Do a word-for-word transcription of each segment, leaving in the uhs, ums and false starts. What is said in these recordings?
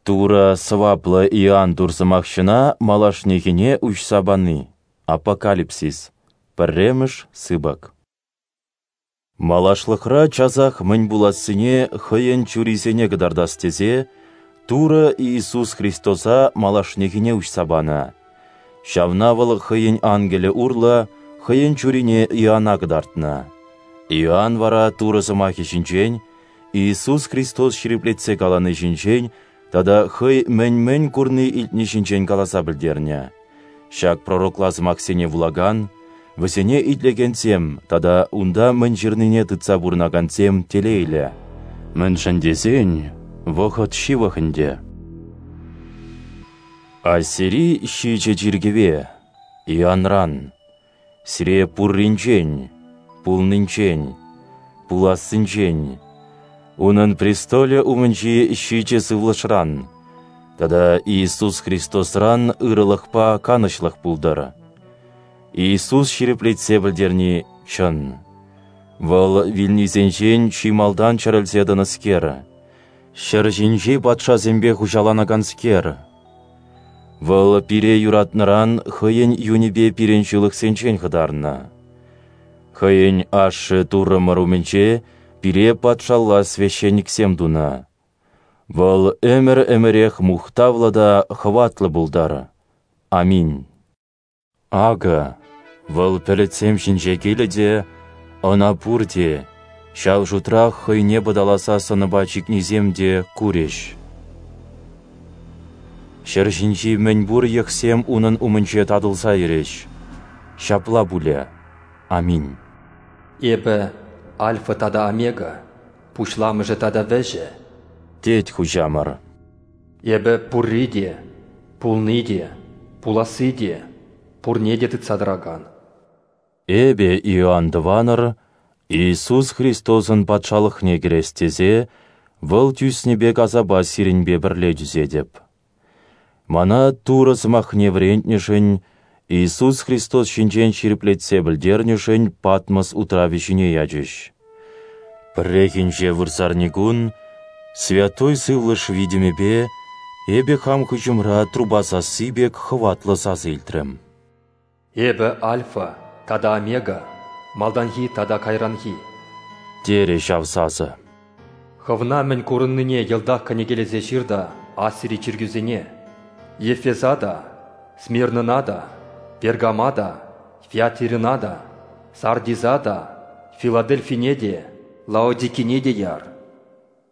Турӑ сӑваплӑ Иоанн Турсӑмахҫӑна малашнехине уҫса пани. Апокалипсис. Пӗрремӗш сыпӑк. Малашлӑхра часах мӗн пулассине хӑйӗн чурисене кӑтартас тесе Турӑ Иисус Христоса малашнехине уҫса панӑ. Ҫавна вӑл хӑйӗн ангелӗ урлӑ хӑйӗн чурине Иоанна кӑтартнӑ. Иоанн вара Турӑ сӑмахӗ ҫинчен, Иисус Христос ҫирӗплетсе калани ҫинчен тата хӑй мӗн-мӗн курни-илтни ҫинчен каласа пӗлтернӗ. Ҫак пророкла сӑмахсене вулакан, вӗсене итлекенсем тата унта мӗн ҫырнине тытса пурӑнакансем телейлӗ. Мӗншӗн тесен вӑхӑт ҫывӑх ӗнтӗ. Асири ҫичӗ чиркӗве, Иоанран, сире пурринчен, пулнинчен, пулассинчен, унӑн престолӗ умӗнчи ҫичӗ сывлӑшран тата Иисус Христосран ырӑлӑхпа канӑҫлӑх пултӑр. Иисус ҫирӗплетсе пӗлтерни чӑн. Вӑл вилнисенчен чи малтан чӗрӗлсе тӑнӑскер, ҫӗр ҫинчи патшасемпе хуҫаланаканскер. Вӑл пире юратнӑран хӑйӗн юнӗпе пирӗн ҫылӑхсенчен хӑтарнӑ. Хӑйӗн ашшӗ Туррӑмӑр умӗнче пире патшалла священниксем тунӑ. Вӑл ӗмӗр-ӗмӗрех мухтавлӑ та хӑватлӑ пултӑр. Аминь. Акӑ, вӑл пӗлӗтсем ҫинче килӗ те, ӑна пурте, ҫав шутрах хӑйне пӑталаса сӑнӑпа чикнисем те, курӗҫ. Ҫӗр ҫинчи мӗнпур йӑхсем унӑн умӗнче татӑлса йӗрӗҫ. Ҫапла пулӗ. Аминь. Эпӗ Альфа тата Омега, пуҫламӑшӗ тата вӗҫӗ, тет Хуҫамӑр. Эпӗ пурри те, пулни те, пуласси те, пурне те тытса тӑракан. Эпӗ, Иоанн тӑванӑр, Иисус Христосӑн патшалӑхне кӗрес тесе, вӑл тӳснӗ пек асапа сирӗнпе пӗрле тӳсетӗп. Мана Турӑ сӑмахне вӗрентнӗшӗн, Иисус Христос ҫинчен ҫирӗплетсе пӗлтернӗшӗн Патмос утравӗ ҫине ячӗҫ. Пӗррехинче вырсарникун Святой Сывлӑш витӗмӗпе эпӗ хам хыҫӑмра труба сасси пек хӑватлӑ сасӑ илтрӗм. Эпӗ Альфа тата Омега, малтанхи тата кайранхи, терӗ ҫав сасӑ. Хӑвна мӗн курӑннине йӑлтах кӗнекелесе ҫыр та Асири чиркӳсене, Ефеса та, Смирнӑна та, Пергама та, Фиатирӑна та, Сардиса та, Филадельфине те, Лаодикине те яр.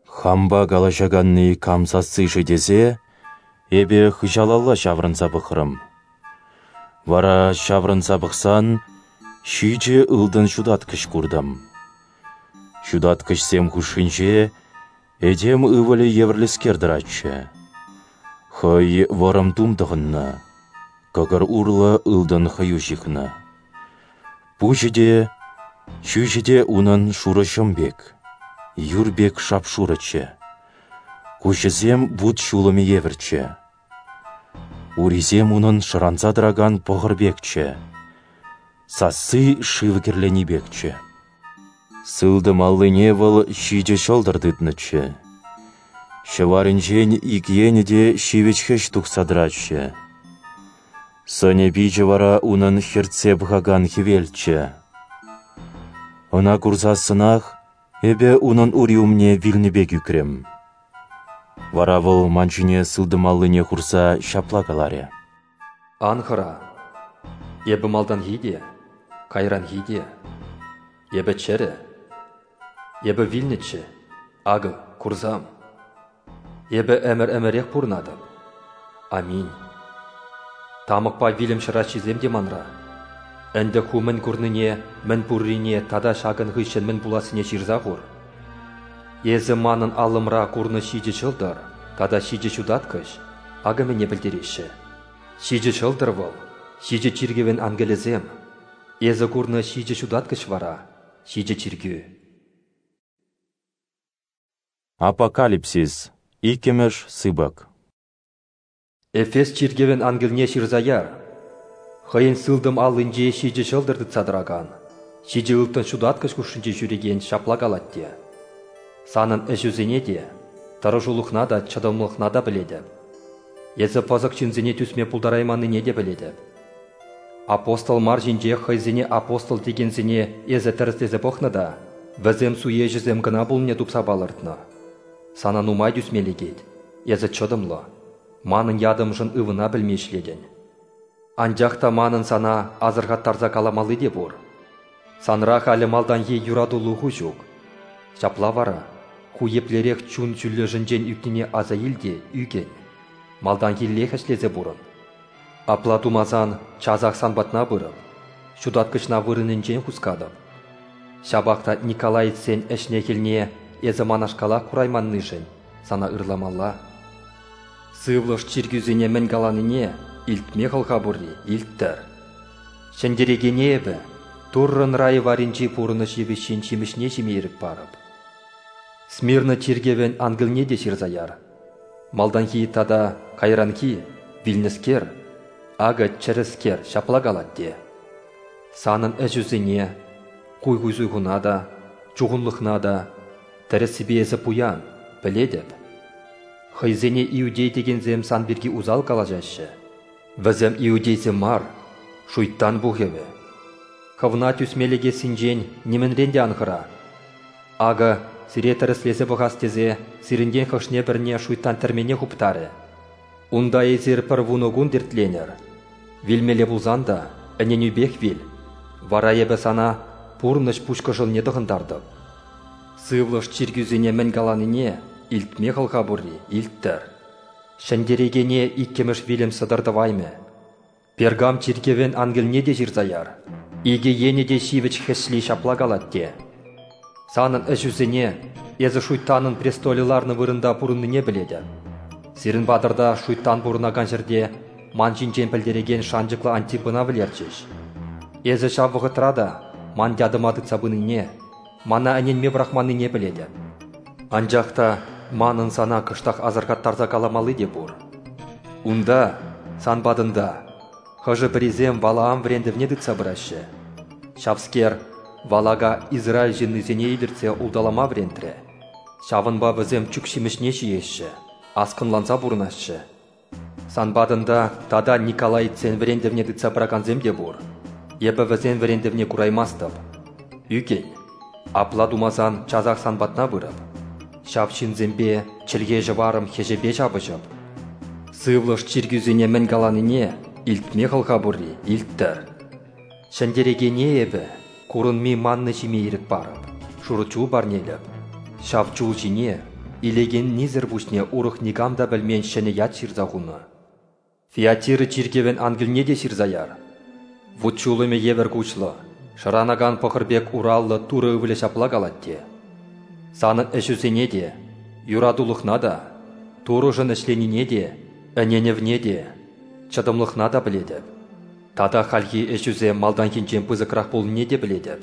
Хампа калаҫаканни кам сасси-ши тесе, эпӗ хыҫалалла ҫаврӑнса пӑхрӑм. Вара ҫаврӑнса пӑхсан, ҫичӗ ылтӑн ҫутаткӑҫ куртӑм. Ҫутаткӑҫсем хушшинче этем ывӑлӗ евӗрлӗскер тӑратчӗ. Хӑй вӑрӑм тум тӑхӑннӑ, кӑкӑр урлӑ ылтӑн хӑю ҫыхнӑ. Пуҫӗ те, ҫӳҫӗ те унӑн шурӑ ҫӑм пек, юр пек шап-шурӑччӗ. Куҫӗсем вут ҫулӑмӗ евӗрччӗ. Урисем унӑн шӑранса тӑракан пӑхӑр пекчӗ. Сасси шыв кӗрлени пекчӗ. Сылтӑм аллине вӑл ҫичӗ ҫӑлтӑр тытнӑччӗ. Ҫӑварӗнчен ик енӗ те ҫивӗч хӗҫ тухса тӑратчӗ. Сӑнӗ-пичӗ вара унӑн хӗртсе пӑхакан хӗвелччӗ. Ӑна курсассӑнах эпӗ унӑн ури умне вилнӗ пек ӳкрӗм. Вара вӑл ман ҫине сылтӑм аллине хурса ҫапла каларӗ: Ан хӑра, эпӗ малтанхи те, кайранхи те, эпӗ чӗрӗ, эпӗ вилнӗччӗ, акӑ, курсам. Эпӗ ӗмӗр-ӗмӗрех пурӑнатӑп. Аминь. Тамӑкпа вилӗм ҫӑраҫҫисем те манра. Ӗнтӗ ху мӗн курнине, мӗн пуррине тата ҫакӑн хыҫҫӑн мӗн пулассине ҫырса хур. Эсӗ манӑн аллӑмра курнӑ ҫичӗ ҫӑлтӑр тата ҫичӗ ҫутаткӑҫ акӑ мӗне пӗлтереҫҫӗ. Ҫичӗ ҫӑлтӑр вӑл, ҫичӗ чиркӗвӗн ангелӗсем. Эсӗ курнӑ ҫичӗ ҫутаткӑҫ вара, ҫичӗ чиркӳ. Апокалипсис. Иккӗмӗш сыпӑк. Эфес чиркӗвӗн ангелне ҫырса яр. Хӑйӗн сылтӑм аллинче ҫичӗ ҫӑлтӑр тытса тӑракан, ҫичӗ ылтӑн ҫутаткӑҫ хушшинче ҫӳрекен ҫапла калать те: Санӑн ӗҫӳсене те, Тӑрӑшулӑхна та, чӑтӑмлӑхна та пӗлетӗп. Эсӗ пӑсӑк ҫынсене тӳсме пултарайманнине те пӗлетӗп. Апостол мар ҫинчех хӑйсене апостол текенсене эсӗ тӗрӗслесе пӑхнӑ та, вӗсем суеҫӗсем кӑна пулнине тупса палӑртнӑ. Сана нумай тӳсме лекет, эсӗ чӑтӑмлӑ, манӑн ятӑмшӑн ывӑна пӗлми ӗҫлетӗн. Анчах та манӑн сана асӑрхаттарса каламалли те пур. Санра халӗ малтанхи юратулӑху ҫук. Ҫапла вара, ху еплерех чун ҫӳллӗшӗнчен ӳкнине аса ил те ӳкӗн, малтанхиллех ӗҫлесе пурӑн. Апла тумасан часах сан патна пырӑп, ҫутаткӑҫна вырӑнӗнчен хускатӑп. Ҫапах та николаитсен ӗҫне-хӗлне эсӗ манашкалах курайманнишӗн сана ырламалла. Сывлӑш чиркӳсене мӗн каланине илтме хӑлха пурри илттӗр. Ҫӗнтерекене эпӗ Туррӑн райӗ варринчи пурӑнӑҫ йывӑҫҫин ҫимӗҫне ҫиме ирӗк парӑп. Смирна чиркӗвӗн ангелне те ҫырса яр. Малтанхи тата кайранхи, вилнӗскер, акӑ чӗрӗскер ҫапла калать те. Санӑн ӗҫӳсене, хуйху-суйхуна та, чухӑнлӑхна та, тӗрӗссипе эсӗ пуян, пӗлетӗп. Хӑйсене иудей текенсем сан пирки усал калаҫаҫҫӗ. Вӗсем иудейсем мар, шуйттан пухӑвӗ. Хӑвна тӳсме лекессинчен нимӗнрен те ан хӑра. Акӑ, сире тӗрӗслесе пӑхас тесе сирӗнтен хӑшне-пӗрне шуйттан тӗрмене хуптарӗ. Унта эсир пӗр вунӑ кун тертленӗр. Вилмелле пулсан та ӗненӳпех вил. Вара эпӗ сана пурнӑҫ пуҫкӑшӑлне тӑхӑнтартӑп. Сывлӑш чиркӳсене мӗн каланине илтме хӑлха пурри илттӗр. Ҫӗнтерекене иккӗмӗш вилӗм сӑтӑр тӑваймӗ. Пергам чиркӗвӗн ангелне те ҫырса яр. Икӗ енӗ те ҫивӗч хӗҫли ҫапла калать те. Санӑн ӗҫӳсене, эсӗ шуйттанӑн престолӗ ларнӑ вырӑнта пурӑннине пӗлетӗп. Сирӗн патӑрта шуйттан пурӑнакан ҫӗрте ман ҫинчен пӗлтерекен шанчӑклӑ Антипӑна вӗлерчӗҫ. Эсӗ ҫав вӑхӑтра та ман ятӑма тытса пынине, мана ӗненме пӑрахманнине пӗлетӗп. Анчах та манӑн сана кӑштах асӑрхаттарса каламалли те пур. Унта, сан патӑнта, хӑшӗ-пӗрисем Валаам вӗрентӗвне тытса пыраҫҫӗ. Ҫавскер Валака Израиль ҫыннисене илӗртсе улталама вӗрентрӗ. Ҫавӑнпа вӗсем чӳк ҫимӗҫне ҫиеҫҫӗ, аскӑнланса пурӑнаҫҫӗ. Сан патӑнта тата николаитсен вӗрентӗвне тытса пыракансем те пур. Эпӗ вӗсен вӗрентӗвне кураймастӑп. Ӳкӗн. Апла тумасан часах сан патна пырӑп. Ҫав ҫынсемпе чӗлхе-ҫӑварӑм хӗҫӗпе ҫапӑҫӑп. Сывлӑш чиркӳсене мӗн каланине илтме хӑлха пурри илттӗр. Ҫӗнтерекене эпӗ курӑнми манна ҫиме ирӗк парӑп, шурӑ чул парнелӗп. Ҫав чул ҫине илекеннисӗр пуҫне урӑх никам та пӗлмен ҫӗнӗ ят ҫырса хунӑ. Фиатира чиркӗвӗн ангелне те ҫырса яр. Вут ҫулӑмӗ евӗр куҫлӑ, шӑранакан пӑхӑр пек ураллӑ Турӑ ывӑлӗ ҫапла калать те. Санӑн ӗҫӳсене те, юратулӑхна та, Турӑшӑн ӗҫленине те, ӗненӗвне те, чӑтӑмлӑхна та пӗлетӗп. Тата хальхи ӗҫӳсем малтанхинчен пысӑкрах пулнине те пӗлетӗп.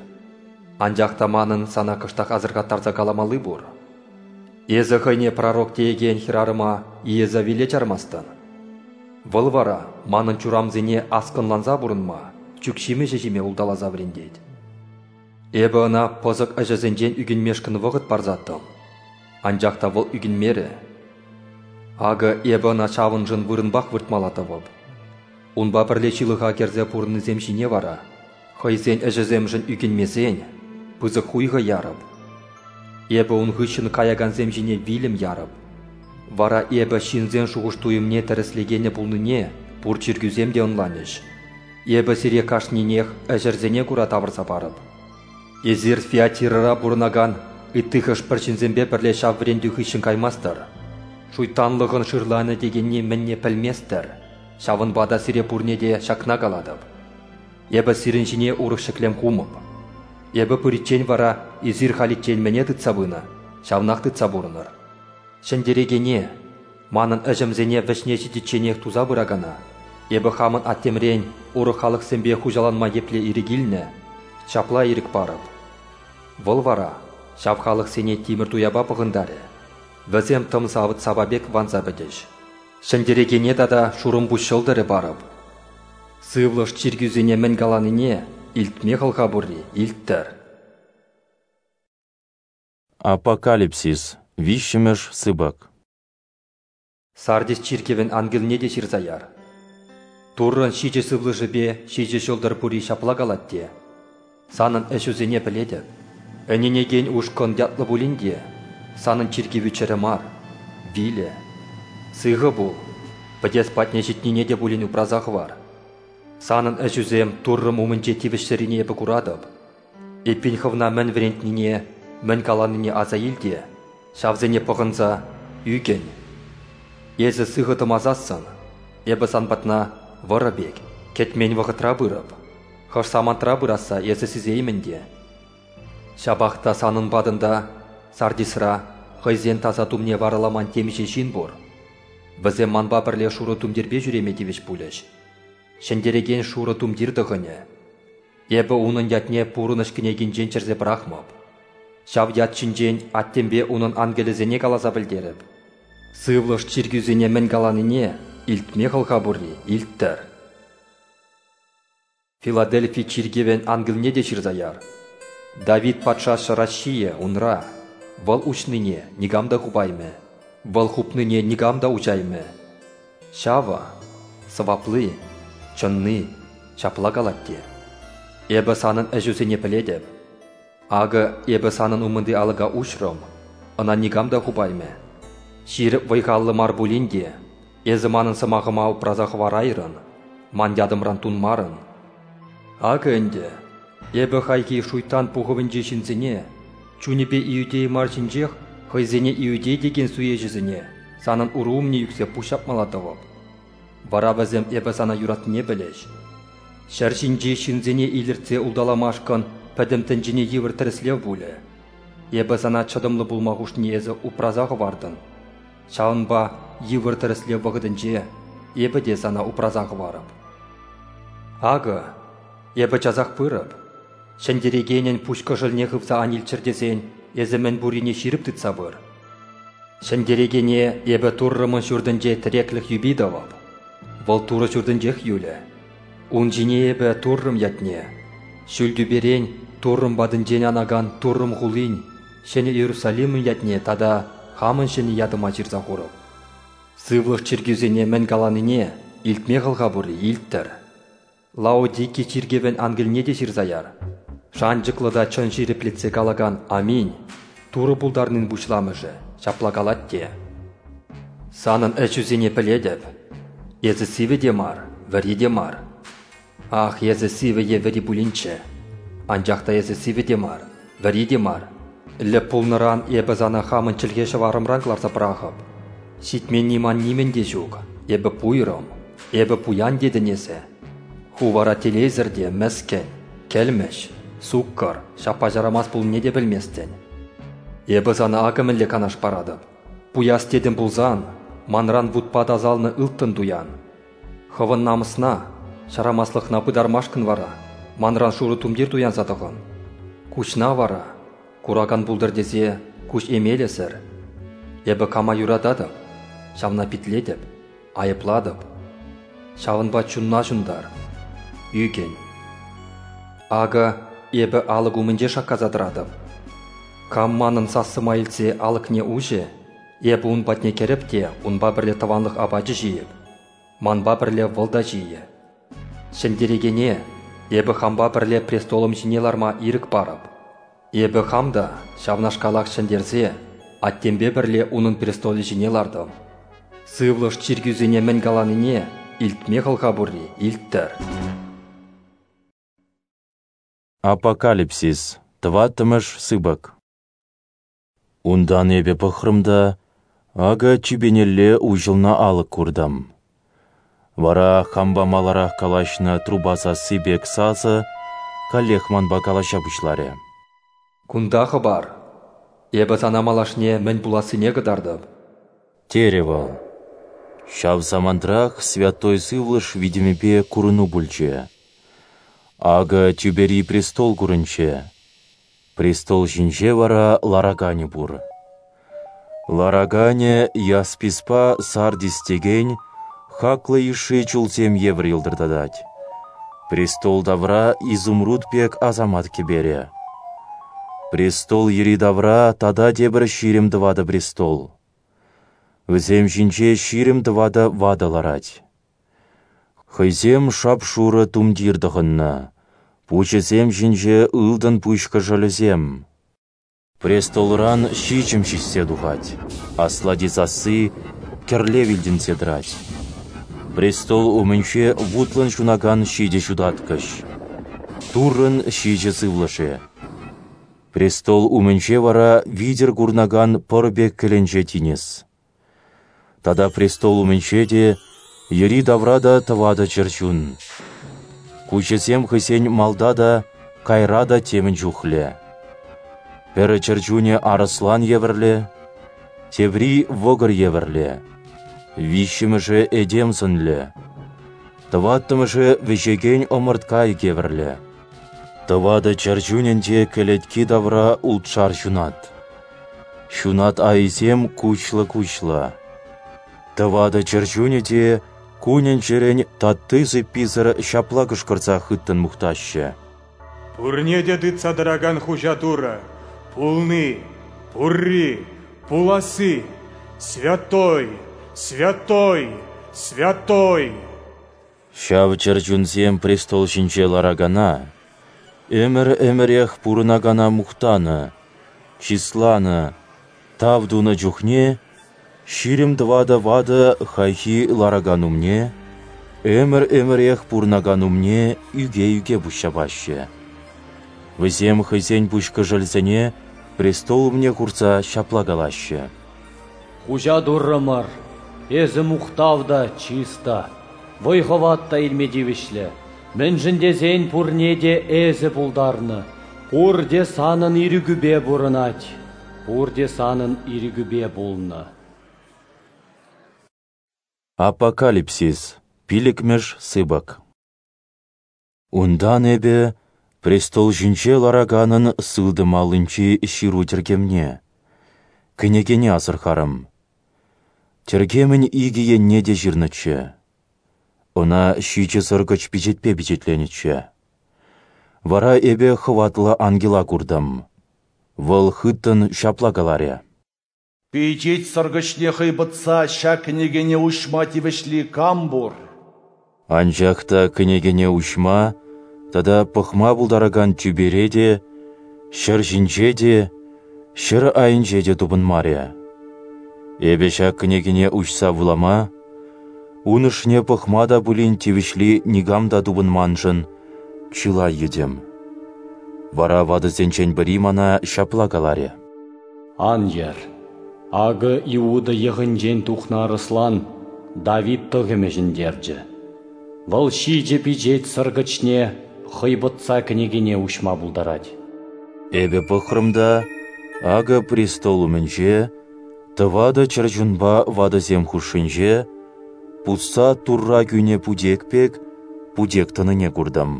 Анчах та манӑн сана кӑштах асӑрхаттарса каламалли пур. Эсӗ хӑйне пророк теекен хӗрарӑма Иезавеле чармастӑн. Вӑл вара манӑн чурамсене аскӑнланса пурӑнма, чӳк ҫимӗҫӗ ҫиме улталаса вӗрентет. Эпӗ ӑна пӑсӑк ӗҫӗсенчен ӳкӗнмешкӗн вӑхӑт парсаттӑм. Анчах та вӑл ӳкӗнмерӗ. Акӑ эпӗ ӑна ҫавӑншӑн вырӑнпах выртмалла тӑвӑп. Унпа пӗрле ҫылӑха кӗрсе пурӑннисем ҫине вара, хӑйсен ӗҫӗсемшӗн ӳкӗнмесен, пысӑк хуйхӑ ярӑп. Эпӗ ун хыҫҫӑн каякансем ҫине вилӗм ярӑп. Вара эпӗ ҫынсен шухӑш-туйӑмне тӗрӗслекенӗ пулнине пур чиркӳсем те ӑнланӗҫ. Эпӗ сире кашнинех ӗҫӗрсене кура тавӑрса парӑп. Эсир Фиатирӑра пурӑнакан ытти хӑш-пӗр ҫынсемпе пӗрле ҫав вӗрентӳ хыҫҫӑн каймастӑр. Шуйттанлӑхӑн шырланӗ текенни мӗнне пӗлместӗр. Ҫавӑнпа та сире пурне те ҫакна калатӑп. Эпӗ сирӗн ҫине урӑх ҫӗклем хумӑп. Эпӗ пыриччен вара эсир халиччен мӗне тытса пынӑ, ҫавнах тытса пурӑнӑр. Ҫӗнтерекене, манӑн ӗҫӗмсене вӗҫне ҫитичченех туса пыракана, эпӗ хамӑн аттемрен урӑх халӑхсемпе хуҫаланма епле ирӗк илнӗ, ҫапла ирӗк парӑп. Вӑл вара ҫав халӑхсене тимӗр туяпа пӑхӑнтарӗ. Вӗсем тӑм савӑт-сапа пек ванса пӗтӗҫ. Ҫӗнтерекене тата шурӑмпуҫ ҫӑлтӑрӗ парӑп. Сывлӑш чиркӳсене мӗн каланине илтме хӑлха пурри илттӗр. Апокалипсис, виҫҫӗмӗш сыпӑк. Сардис чиркӗвӗн ангелне те ҫырса яр. Туррӑн ҫичӗ сывлӑшӗпе ҫичӗ ҫӑлтӑр пурри ҫапла калать те: санӑн ӗҫӳсене пӗлетӗп. Ӗненекен ушкӑн ятлӑ пулин те, санӑн чиркӗвӳ чӗрӗ мар, вилӗ. Сыхӑ пул, пӗтес патне ҫитнине те пулин упраса хӑвар. Санӑн ӗҫӳсем Туррӑм умӗнче тивӗҫсӗррине эпӗ куратӑп. Эппин хӑвна мӗн вӗрентнине, мӗн каланине аса ил те, ҫавсене пӑхӑнса ӳкӗн. Эсӗ сыхӑ тӑмасассӑн, эпӗ сан патна вӑрӑ пек, кӗтмен вӑхӑтра пырӑп. Хӑш самантра пырасса эсӗ сисеймӗн те. Ҫапах та санӑн патӑнта, Сардисра, хӑйсен таса тумне вараламан темиҫе ҫын пур. Вӗсем манпа пӗрле шурӑ тумтирпе ҫӳреме тивӗҫ пулӗҫ. Ҫӗнтерекен шурӑ тумтир тӑхӑнӗ. Эпӗ унӑн ятне пурӑнӑҫ кӗнекинчен чӗрсе пӑрахмӑп. Ҫав ят ҫинчен аттемпе унӑн ангелӗсене каласа пӗлтерӗп. Сывлӑш чиркӳсене мӗн каланине илтме хӑлха пурри илттӗр. Филадельфи чиркӗвӗн ангелне те ҫырса яр. Давид патша ҫӑраҫҫийӗ унра, вӑл уҫнине никам та хупаймӗ, вӑл хупнине никам та уҫаймӗ. Ҫавӑ, сӑвапли, чӑнни, ҫапла калать те. Эпӗ санӑн ӗҫӳсене пӗлетӗп. Акӑ эпӗ санӑн умӑнти алӑка уҫрӑм, ӑна никам та хупаймӗ. Ҫирӗп вӑй-халлӑ мар пулин те, эсӗ манӑн сӑмахӑма упраса хӑварайрӑн, ман ятӑмран тунмарӑн. Акӑ ӗнтӗ, эпӗ хайхи шуйттан пухӑвӗнчи ҫынсене, чунӗпе иудей мар ҫинчех хӑйсене иудей текен суеҫӗсене санӑн уру умне ӳксе пуҫ ҫапмалла тӑвӑп. Вара вӗсем эпӗ сана юратнине пӗлӗҫ. Ҫӗр ҫинчи ҫынсене илӗртсе улталамашкӑн пӗтӗм тӗнчене йывӑр тӗрӗслев пулӗ. Эпӗ сана чӑтӑмлӑ пулма хушнине эсӗ упраса хӑвартӑн. Ҫавӑнпа йывӑр тӗрӗслев вӑхӑтӗнче эпӗ те сана упраса хӑварӑп. Акӑ, эпӗ часах пырӑп. Ҫӗнтерекенӗн пуҫ кӑшӑлне хывса ан илччӗр тесен эсӗ мӗн пуррине ҫирӗп тытса пыр. Ҫӗнтерекене эпӗ Туррӑмӑн ҫуртӗнче тӗреклӗх юпи тӑвӑп. Вӑл Турӑ ҫуртӗнчех юлӗ. Ун ҫине эпӗ Туррӑм ятне, ҫӳл тӳперен Туррӑм патӗнчен анакан Туррӑм хулин, Ҫӗнӗ Иерусалимӑн ятне тата хамӑн ҫӗнӗ ятӑма ҫырса хурӑп. Сывлӑш чиркӳсене мӗн каланине илтме хӑлха пурри илттӗр. Лаодики чиркӗвӗн ангелне те ҫырса яр. Шанчӑклӑ та чӑн ҫирӗплетсе калакан Аминь, Турӑ пултарнин пуҫламӑшӗ, ҫапла калать те. Санӑн ӗҫӳсене пӗлетӗп. Эсӗ сивӗ те мар, вӗри те мар. Ах, эсӗ сивӗ е вӗри пулинччӗ. Анчах та эсӗ сивӗ те мар, вӗри те мар. Лӗп пулнӑран эпӗ сана хамӑн чӗлхе ҫӑварӑмран кӑларса пӑрахӑп. Ҫитменни ман нимӗн те ҫук, эпӗ пуйрӑм, эпӗ пуян тетӗн эсӗ. Ху вара телейсӗр те мӗскӗн, кӗлмӗҫ, суккӑр, ҫаппа-ҫарамас пулнине те пӗлместӗн. Эпӗ сана акӑ мӗнле канаш паратӑп. Пуяс тетӗн пулсан, манран вутпа тасалнӑ ылтӑн туян. Хӑвӑн намӑсна, ҫарамаслӑхна пытармашкӑн вара манран шурӑ тумтир туянса тӑхӑн. Куҫна вара, куракан пултӑр тесе, куҫ эмелӗсӗр. Эпӗ кама юрататӑп, ҫавна питлетӗп, айӑплатӑп. Ҫавӑнпа чунна ҫунтар, ӳкӗн. Акӑ эпӗ алӑк умӗнче шаккаса тӑратӑп. Кам манӑн сассӑма илтсе алӑкне уҫӗ, эпӗ ун патне кӗрӗп те унпа пӗрле тӑванлӑх апачӗ ҫийӗп. Манпа пӗрле вӑл та ҫийӗ. Ҫӗнтерекене эпӗ хампа пӗрле престолӑм ҫине ларма ирӗк парӑп. Эпӗ хам та ҫавнашкалах ҫӗнтерсе аттемпе пӗрле унӑн престолӗ ҫине лартӑм. Сывлӑш чиркӳсене мӗн каланине илтме хӑлха пурри илттӗр. Апокалипсис, тӑваттӑмӗш сыпӑк. Унтан эпӗ пӑхрӑм та, акӑ тӳпенелле уҫӑлнӑ алӑк куртӑм. Вара хампа маларах калаҫнӑ труба сасси пек сасӑ каллех манпа калаҫа пуҫларӗ. Кунта хӑпар. Эпӗ сана малашне мӗн пулассине кӑтартӑп, терӗ вӑл. Ҫав самантрах Святой Сывлӑш витӗмӗпе курӑну пулчӗ. Акӑ тӳпери престол курӑнчӗ. Престол ҫинче вара лараканӗ пур. Лараканӗ ясписпа сардис текен хаклӑ йышши чулсем евӗр йӑлтӑртатать. Престол тавра изумруд пек асамат кӗперӗ. Престол йӗри-тавра тата тепӗр ҫирӗм тӑватӑ престол. Вӗсем ҫинче ҫирӗм тӑватӑ ватӑ ларать. Хӑйсем шап-шурӑ тумтир тӑхӑннӑ, пуҫӗсем ҫинче ылтӑн пуҫ кӑшӑлӗсем. Престолран ҫиҫӗм ҫиҫсе тухать, аслати сасси кӗрлев илтӗнсе тӑрать. Престол умӗнче вутлӑн ҫунакан ҫичӗ ҫутаткӑҫ, Туррӑн ҫичӗ сывлӑшӗ. Престол умӗнче вара витӗр курӑнакан пӑр пек кӗленче тинӗс. Тата престол умӗнче те, йӗри-тавра та тӑватӑ чӗрчун. Куҫӗсем хӑйсен малта та, кайра та темӗн чухлӗ. Пӗр чӗрчунӗ арӑслан евӗрлӗ, тепри вӑкӑр евӗрлӗ, виҫҫӗмӗшӗ этем сӑнлӗ, тӑваттӑмӗшӗ вӗҫекен ӑмӑрт кайӑк евӗрлӗ. Тӑватӑ чӗрчунӗн те кӗлетки тавра ултшар ҫунат. Ҫунат айӗсем куҫлӑ-куҫлӑ. Тӑватӑ чӗрчунӗ те кунӗн-ҫӗрӗн татти-сыпписӗр ҫапла кӑшкӑрса хыттӑн мухтаҫҫӗ: Пурне те тытса тӑракан Хуҫа Турӑ, пулни, пурри, пуласси, святой, святой, святой! Ҫав чӗрчунсем престол ҫинче ларакана, ӗмӗр-ӗмӗрех пурӑнакана мухтанӑ, чысланӑ, тав тунӑ чухне ҫирӗм тӑватӑ ватӑ хайхи ларакан умне, ӗмӗр-ӗмӗрех пурӑнакан умне ӳке-ӳке пуҫҫапаҫҫӗ. Вӗсем хӑйсен пуҫкӑшӑлӗсене престол умне хурса ҫапла калаҫҫӗ: Хуҫа Туррӑмӑр, эсӗ мухтав та, чыс та, вӑй-хӑват та илме тивӗҫлӗ, мӗншӗн тесен пурне те эсӗ пултарнӑ, пурте санӑн ирӗкӳпе пурӑнать, пурте санӑн ирӗкӳпе пулнӑ. Апокалипсис, пилӗкмӗш сыпӑк. Унтан эпӗ престол ҫинче лараканӑн сылтӑм аллинчи ҫыру тӗркемне, кӗнекене асӑрхарӑм. Тӗркемӗн икӗ енне те ҫырнӑччӗ. Ӑна ҫичӗ сӑркӑч пичетпе пичетленӗччӗ. Вара эпӗ хӑватлӑ ангела куртӑм. Вӑл хыттӑн ҫапла каларӗ: Пичет сӑркӑчне хӑйпӑтса ҫак кӗнекене уҫма тивӗҫли кам пур? Анчах та кӗнекене уҫма тата пӑхма пултаракан тӳпере те, ҫӗр ҫинче те, ҫӗр айӗнче те тупӑнмарӗ. Эпӗ ҫак кӗнекене уҫса вулама, ун ӑшне пӑхма та пулин тивӗҫли никам та тупӑнманшӑн чылай йӗтӗм. Вара ватӑсенчен пӗри мана ҫапла каларӗ: Ан йӗр. Акӑ Иуда йӑхӗнчен тухнӑ арӑслан Давид тӑхӑмӗ ҫӗнтерчӗ. Вӑл ҫичӗ пичет сӑркӑчне хӑйпӑтса кӗнекене уҫма пултарать. Эпӗ пӑхрӑм та, акӑ престол умӗнче, тӑватӑ чӗрчунпа ватӑсем хушшинче, пусса Турра кӳнӗ путек пек путек тӑнине куртӑм.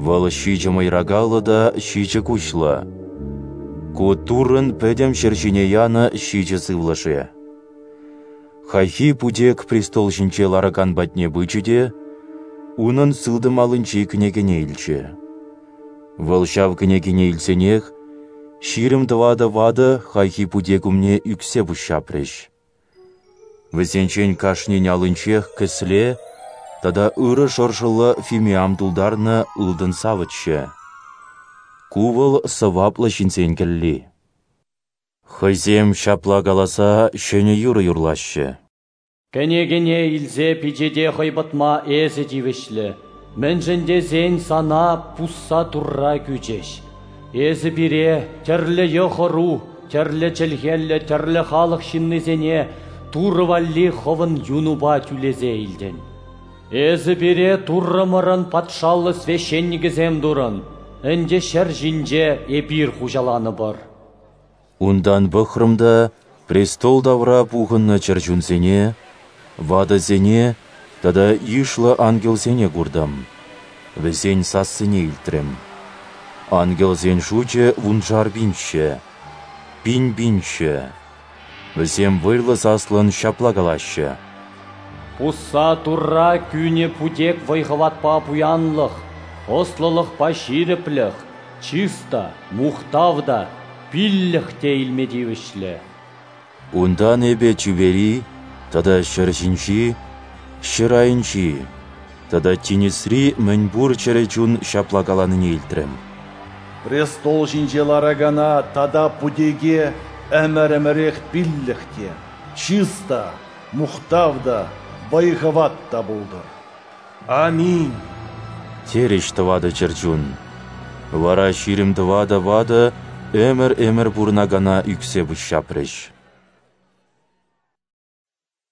Вӑл ҫичӗ мӑйракаллӑ та ҫичӗ куҫлӑ. Ку Туррӑн пӗтӗм ҫӗр ҫине янӑ ҫичӗ сывлӑшӗ. Хайхи путек престол ҫинче ларакан патне пычӗ те унӑн сылтӑм аллинчи кӗнекене илчӗ. Вӑл ҫав кӗнекене илсенех ҫирӗм тӑватӑ ватӑ хайхи путек умне ӳксе пуҫҫапрӗҫ. Вӗсенчен кашнин аллинчех кӗсле тата ырӑ шӑршӑллӑ фимиам тултарнӑ ылтӑн савӑтчӗ. Ку вӑл сӑваплӑ ҫынсен кӗлли. Хӑйсем ҫапла каласа ҫӗнӗ юрӑ юрлаҫҫӗ. Кӗнекене илсе пичете хӑйпӑтма эсӗ тивӗҫлӗ, мӗншӗн тесен сана пусса Турра кӳчӗҫ. Эсӗ пире тӗрлӗ йӑх-ӑру, тӗрлӗ чӗлхеллӗ, тӗрлӗ халӑх ҫыннисене Турӑ валли хӑвӑн юнупа тӳлесе илтӗн. Эсӗ пире Туррӑмӑрӑн патшаллӑ священникӗсем турӑн, ӗнтӗ ҫӗр ҫинче эпир хуҫаланӑпӑр. Унтан пӑхрӑм та престол тавра пухӑннӑ чӗрчунсене, ватӑсене тата йышлӑ ангелсене куртӑм. Вӗсен сассине илтрӗм. Ангелсен шучӗ вуншар пинччӗ, пин пинччӗ. Вӗсем вӑйлӑ саслӑн ҫапла калаҫҫӗ: Пусса Турра кӳнӗ путек вӑй-хӑватпа пуянлӑх, ӑслӑлӑхпа ҫирӗплӗх, чыс та, мухтав та, пиллӗх те илме тивӗҫлӗ. Унтан эпӗ тӳпери тата ҫӗр ҫинчи, ҫӗр айӗнчи тата тинӗсри мӗнпур чӗрӗ чун ҫапла каланине илтрӗм: Престол ҫинче ларакана тата Путеке ӗмӗр-ӗмӗрех пиллӗх те, чыс та, мухтав та, вӑй-хӑват та пултӑр. Аминь! Терӗҫ тӑватӑ чӗрчун. Вара ҫирӗм тӑватӑ ватӑ ӗмӗр-ӗмӗр пурӑнакана ӳксе пуҫҫапрӗҫ.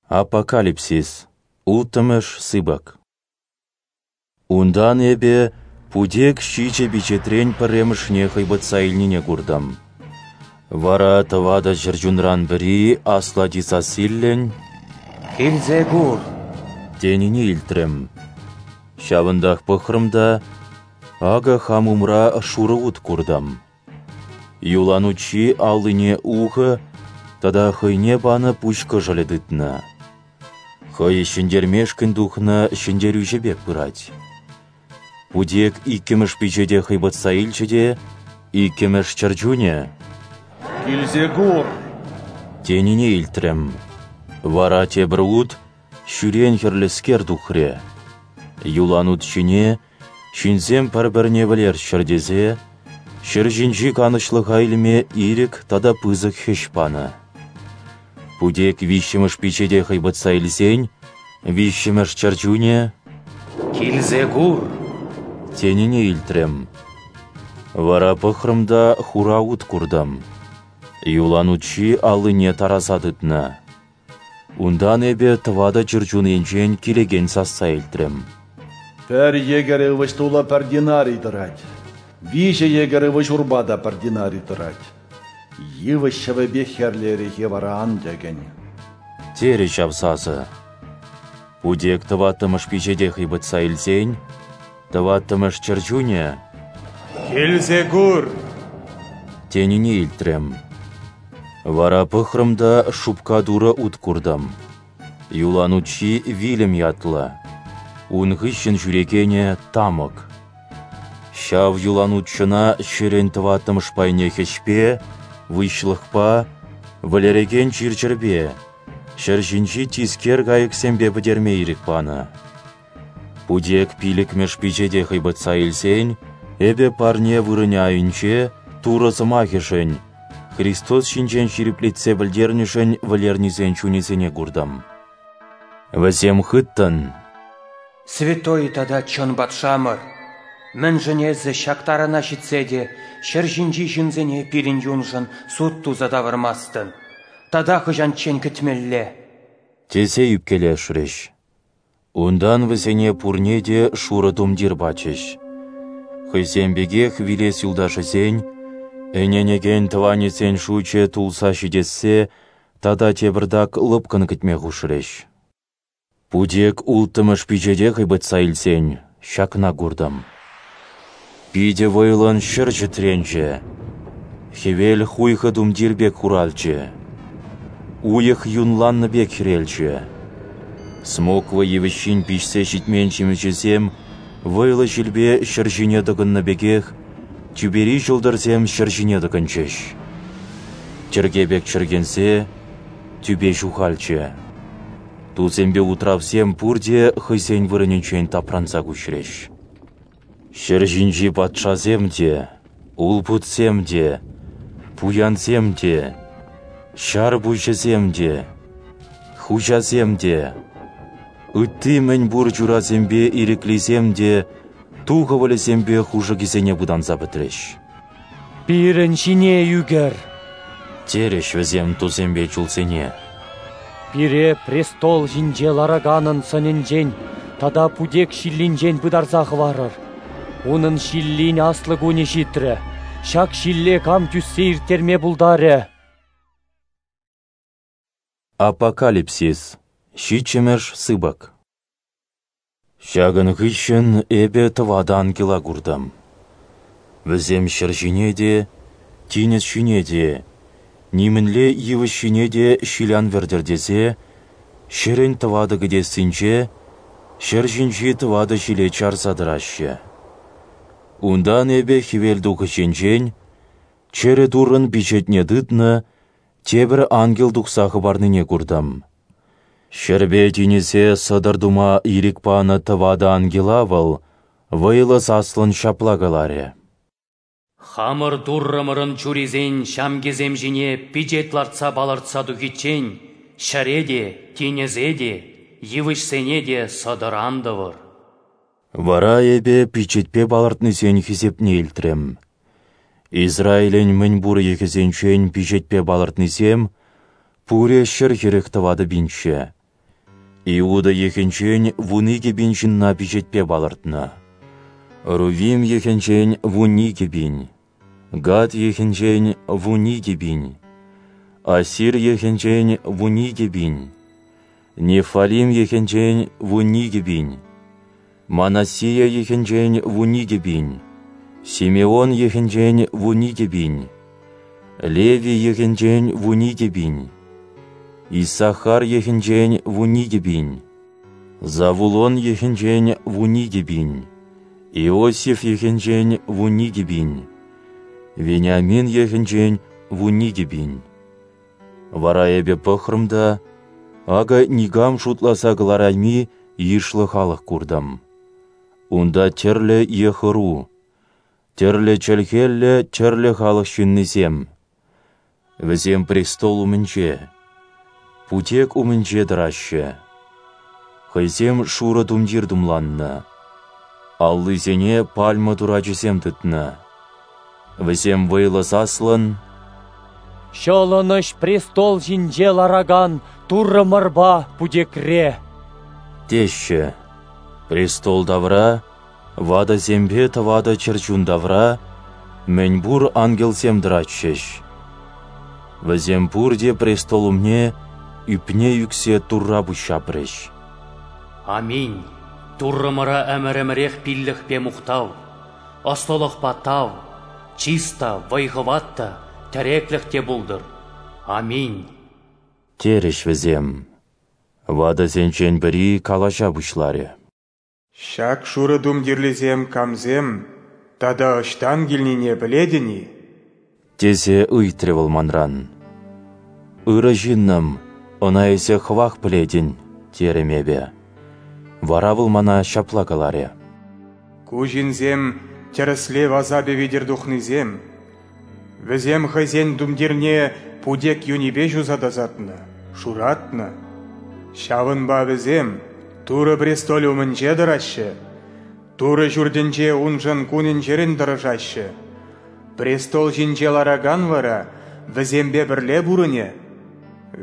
Апокалипсис, улттӑмӗш сыпӑк. Унтан эпӗ Путек ҫичӗ пичетрен пӗрремӗшне хӑйпӑтса илнине куртӑм. Вара тӑватӑ чӗрчунран пӗри аслати сассиллӗн «Килсе кур!» тенине илтрӗм. Ҫавӑнтах пӑхрӑм та, акӑ хам умра шурӑ ут куртӑм. Юланутҫи аллине ухӑ тата хӑйне панӑ пуҫ кӑшӑлӗ тытнӑ. Хӑй ҫӗнтермешкӗн тухнӑ ҫӗнтерӳҫӗ пек пырать. Путек иккӗмӗш пичете хӑйпӑтса илчӗ те иккӗмӗш чӗрчунӗ «Килсе кур!» тенине илтрӗм. Вара тепӗр ут, ҫӳрен хӗрлӗскер, тухрӗ. Юланут ҫине ҫынсем пӗр-пӗрне вӗлерччӗр тесе ҫӗр ҫинчи канӑҫлӑха илме ирӗк тата пысӑк хӗҫ панӑ. Путек виҫҫӗмӗш пичете хӑйпӑтса илсен, виҫҫӗмӗш чӗрчунӗ «Килсе кур!» тенине илтрӗм. Вара пӑхрӑм та хура ут куртӑм. Юланутҫи аллине тараса тытнӑ. Унтан эпӗ тӑватӑ чӗрчун енчен килекен сасса илтрӗм. Пӗр йӗкӗр ывӑҫ тулӑ пӗр динарий тӑрать, виҫӗ йӗкӗр ывӑҫ урпа та пӗр динарий тӑрать. Йывӑҫ ҫӑвӗпе хӗрлӗ эрехе вара ан тӗкӗн. Терӗ ҫав сасӑ. Путек тӑваттӑмӗш пичете хӑйпӑтса илсен, тӑваттӑмӗш чӗрчунӗ «Килсе кур!» тенине илтрӗм. Вара пӑхрӑм та шупка турӑ ут куртӑм. Юланутҫи вилӗм ятлӑ. Ун хыҫҫӑн ҫӳрекенӗ тамӑк. Ҫав юланутҫӑна ҫӗрӗн тӑваттӑмӗш пайне хӗҫпе, выҫлӑхпа, вӗлерекен чир-чӗрпе, ҫӗр ҫинчи тискер кайӑксемпе пӗтерме ирӗк панӑ. Путек пилӗкмӗш пичете хӑйпӑтса илсен, эпӗ парне вырӑнӗ айӗнче Турӑ сӑмахӗшӗн, Христос ҫинчен ҫирӗплетсе пӗлтернӗшӗн вӗлернисен чунӗсене куртӑм. Вӗсем хыттӑн: Святой тата чӑн патшамӑр, мӗншӗн эсӗ ҫак тарана ҫитсе те ҫӗр ҫинчи ҫынсене пирӗн юншӑн суд туса тавӑрмастӑн? Тата хӑҫанччен кӗтмелле? Тесе ӳпкелешрӗҫ. Унтан вӗсене пурне те шурӑ тумтир пачӗҫ. Хӑйсем пекех вилес юлташӗсен, ӗненекен тӑванӗсен шучӗ тулса ҫитессе тата тепӗртак лӑпкӑн кӗтме хушрӗҫ. Путек улттӑмӗш пичете хӑйпӑтса илсен, ҫакна куртӑм. Питӗ вӑйлӑн ҫӗр чӗтренчӗ. Хӗвел хуйхӑ тумтир пек хуралчӗ. Уйӑх юнланнӑ пек хӗрелчӗ. Смоква йывӑҫҫин пиҫсе ҫитмен ҫимӗҫӗсем вӑйлӑ ҫилпе ҫӗр ҫине тӑкӑннӑ пекех, тӳпери ҫӑлтӑрсем ҫӗр ҫине тӑкӑнчӗҫ. Чӗрке пек чӗркенсе, тӳпе ҫухалчӗ. Тусемпе утравсем пурте хӑйсен вырӑнӗнчен тапранса куҫрӗҫ. Ҫӗр ҫинчи патшасем те, улпутсем те, пуянсем те, ҫар пуҫӗсем те, хуҫасем те, ытти мӗнпур чурасемпе ирӗклисем те ту хӑвӑлӗсемпе хушӑкӗсене пытанса пӗтрӗҫ. Пирӗн ҫине ӳкӗр! Терӗҫ вӗсем тусемпе чулсене. Пире престол ҫинче лараканӑн сӑнӗнчен тата путек ҫиллинчен пытарса хӑварӑр. Унӑн ҫиллин аслӑ кунӗ ҫитрӗ. Ҫак ҫилле кам тӳссе ирттерме пултарӗ? Апокалипсис, ҫиччӗмӗш сыпӑк. Ҫакӑн хыҫҫӑн эпӗ тӑватӑ ангела куртӑм. Вӗсем ҫӗр ҫине те, тинӗс ҫине те, нимӗнле йывӑҫ ҫине те ҫил ан вӗртӗр тесе, ҫӗрӗн тӑватӑ кӗтессинче, ҫӗр ҫинчи тӑватӑ ҫиле чарса тӑраҫҫӗ. Унтан эпӗ хӗвел тухӑҫӗнчен чӗрӗ Туррӑн пичетне тытнӑ тепӗр ангел тухса хӑпарнине куртӑм. Ҫӗрпе тинӗсе сӑтӑр тума ирӗк панӑ тӑватӑ ангела вӑл вӑйлӑ саслӑн ҫапла каларӗ: Хамӑр Туррӑмӑрӑн чурисен ҫамкисем ҫине пичет лартса палӑртса тухиччен ҫӗре те, тинӗсе те, йывӑҫсене те сӑтӑр ан тӑвӑр. Вара эпӗ пичетпе палӑртнисен хисепне илтрӗм. Израилӗн мӗнпур йӑхӗсенчен пичетпе палӑртнисем пурӗ ҫӗр хӗрӗх тӑватӑ пинччӗ. Иуда йӑхӗнчен вун икӗ пин ҫынна пичетпе палӑртнӑ. Рувим йӑхӗнчен вун икӗ пин, Гад йӑхӗнчен вун икӗ пин, Асир йӑхӗнчен вун икӗ пин, Неффалим йӑхӗнчен вун икӗ пин, Манассия йӑхӗнчен вун икӗ пин, Симеон йӑхӗнчен вун икӗ пин, Левий йӑхӗнчен вун икӗ пин, Иссахар йӑхӗнчен вун икӗ пин, Завулон йӑхӗнчен вун икӗ пин, Иосиф йӑхӗнчен вун икӗ пин, Вениамин йӑхӗнчен вун икӗ пин. Вара эпӗ пӑхрӑм та, акӑ никам шутласа кӑларайми йышлӑ халӑх куртӑм. Унта тӗрлӗ йӑх-ӑру, тӗрлӗ чӗлхеллӗ тӗрлӗ халӑх ҫыннисем. Вӗсем престол умӗнче, путек умӗнче тӑраҫҫӗ. Хӑйсем шурӑ тумтир тумланнӑ, аллисене пальма турачӗсем тытнӑ. Вӗсем вӑйлӑ саслӑн: Ҫӑлӑнӑҫ престол ҫинче ларакан Туррӑмӑрпа путекре! Теҫҫӗ. Престол тавра, ватӑсемпе тӑватӑ чӗрчун тавра мӗнпур ангелсем тӑратчӗҫ. Вӗсем пурте престол умне ӳпне ӳксе Турра пуҫҫапрӗҫ. Аминь. Туррӑмӑра ӗмӗр-ӗмӗрех пиллӗхпе мухтав, ӑслӑлӑхпа тав, чыс та, вӑй-хӑват та, тӗреклӗх те пултӑр. Аминь. Терӗҫ вӗсем. Ватӑсенчен пӗри калаҫа пуҫларӗ. Ҫак шурӑ тумтирлисем камсем тата ӑҫтан килнине пӗлетӗн-и? Тесе ыйтрӗ вӑл манран. Ырӑ ҫыннӑм, ӑна эсӗ хӑвах пӗлетӗн, терӗм эпӗ. Вара вӑл мана ҫапла каларӗ. Ку ҫынсем тӗрӗслев асапӗ витӗр тухнисем. Вӗсем хӑйсен тумтирне путек юнӗпе ҫуса тасатнӑ, шуратнӑ. Ҫавӑнпа вӗсем Турӑ престолӗ умӗнче тӑраҫҫӗ, Турӑ ҫуртӗнче уншӑн кунӗн-ҫӗрӗн тӑрӑшаҫҫӗ. Престол ҫинче ларакан вара вӗсемпе пӗрле пурӑнӗ.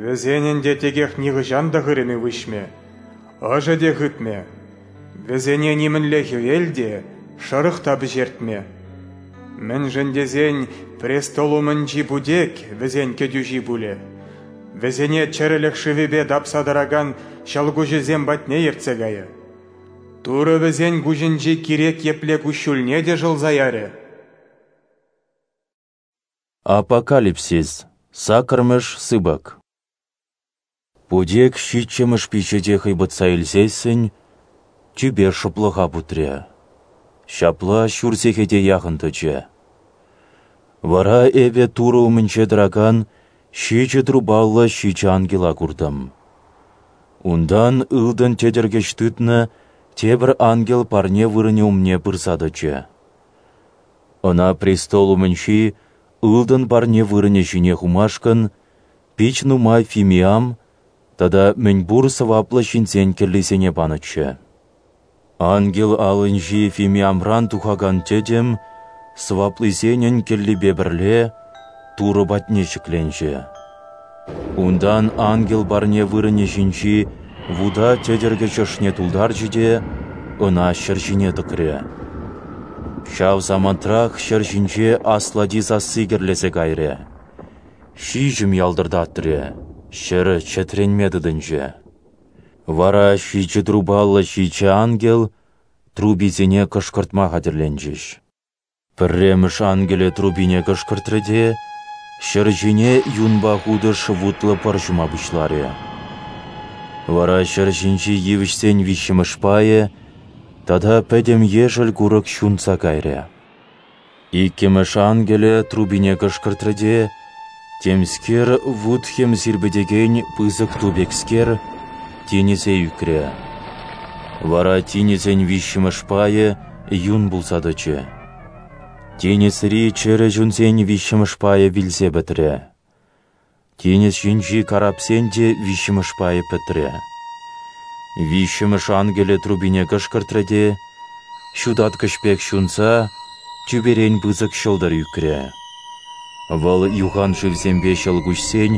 Вӗсен ӗнтӗ текех нихӑҫан та хырӑмӗ выҫмӗ, ӑшӗ те хытмӗ. Вӗсене нимӗнле хӗвел те, шӑрӑх та пӗҫертмӗ. Мӗншӗн тесен престол умӗнчи путек вӗсен кӗтӳҫи пулӗ. Вӗсене чӗрӗлӗх шывӗпе тапса тӑракан ҫӑлкуҫӗсем патне ертсе кайӗ. Турӑ вӗсен куҫӗнчи кирек епле куҫҫульне те шӑлса ярӗ. Апокалипсис, саккӑрмӗш сыпӑк. Путек ҫиччӗмӗш пичете хӑйпӑтса илсессӗн, тӳпе шӑплӑха путрӗ. Ҫапла ҫур сехете яхӑн тӑчӗ. Вара эпӗ Турӑ умӗнче тӑракан ҫичӗ трубаллӑ ҫичӗ ангела куртӑм. Унтан ылтӑн тӗтӗркӗч тытнӑ тепӗр ангел парне вырӑнӗ умне пырса тӑчӗ. Ӑна престол умӗнчи ылтӑн парне вырӑнӗ ҫине хумашкӑн пит нумай фимиам тата мӗнпур сӑваплӑ ҫынсен кӗллисене панӑччӗ. Ангел аллинчи фимиамран тухакан тӗтӗм сӑваплисенӗн кӗллипе пӗрле Турӑ патне ҫӗкленчӗ. Унтан ангел парне вырӑнӗ ҫинчи вута тӗтӗркӗч ӑшне тултарчӗ те ӑна ҫӗр ҫине тӑкрӗ. Ҫав самантрах ҫӗр ҫинче аслати сасси кӗрлесе кайрӗ. Ҫиҫӗм ялтӑртатрӗ, ҫӗр чӗтренме тытӑнчӗ. Вара ҫичӗ трубаллӑ ҫичӗ ангел трубисене кӑшкӑртма хатӗрленчӗҫ. Пӗрремӗш ангелӗ трубине кӑшкӑртрӗ те ҫӗр ҫине юнпа хутӑш вутлӑ пӑр ҫума пуҫларӗ. Вара ҫӗр ҫинчи йывӑҫсен виҫҫӗмӗш пайӗ тата пӗтӗм ешӗл курӑк ҫунса кайрӗ. Иккӗмӗш ангелӗ трубине кӑшкӑртрӗ те Темскер вут-хӗм сирпӗтекен пысӑк ту пекскер тинӗсе ӳкрӗ. Вара тинӗсӗн виҫҫӗмӗш пайӗ юн пулса тӑчӗ. Тинӗсри чӗрӗ чунсен виҫҫӗмӗш пайӗ вилсе пӗтрӗ. Тинӗс ҫинчи карапсен те виҫҫӗмӗш пайӗ пӗтрӗ. Виҫҫӗмӗш ангелӗ трубине кӑшкӑртрӗ те, ҫутаткӑҫ пек ҫунса, тӳперен пысӑк ҫӑлтӑр ӳкрӗ. Вӑл юхан шывсемпе ҫӑлкуҫсен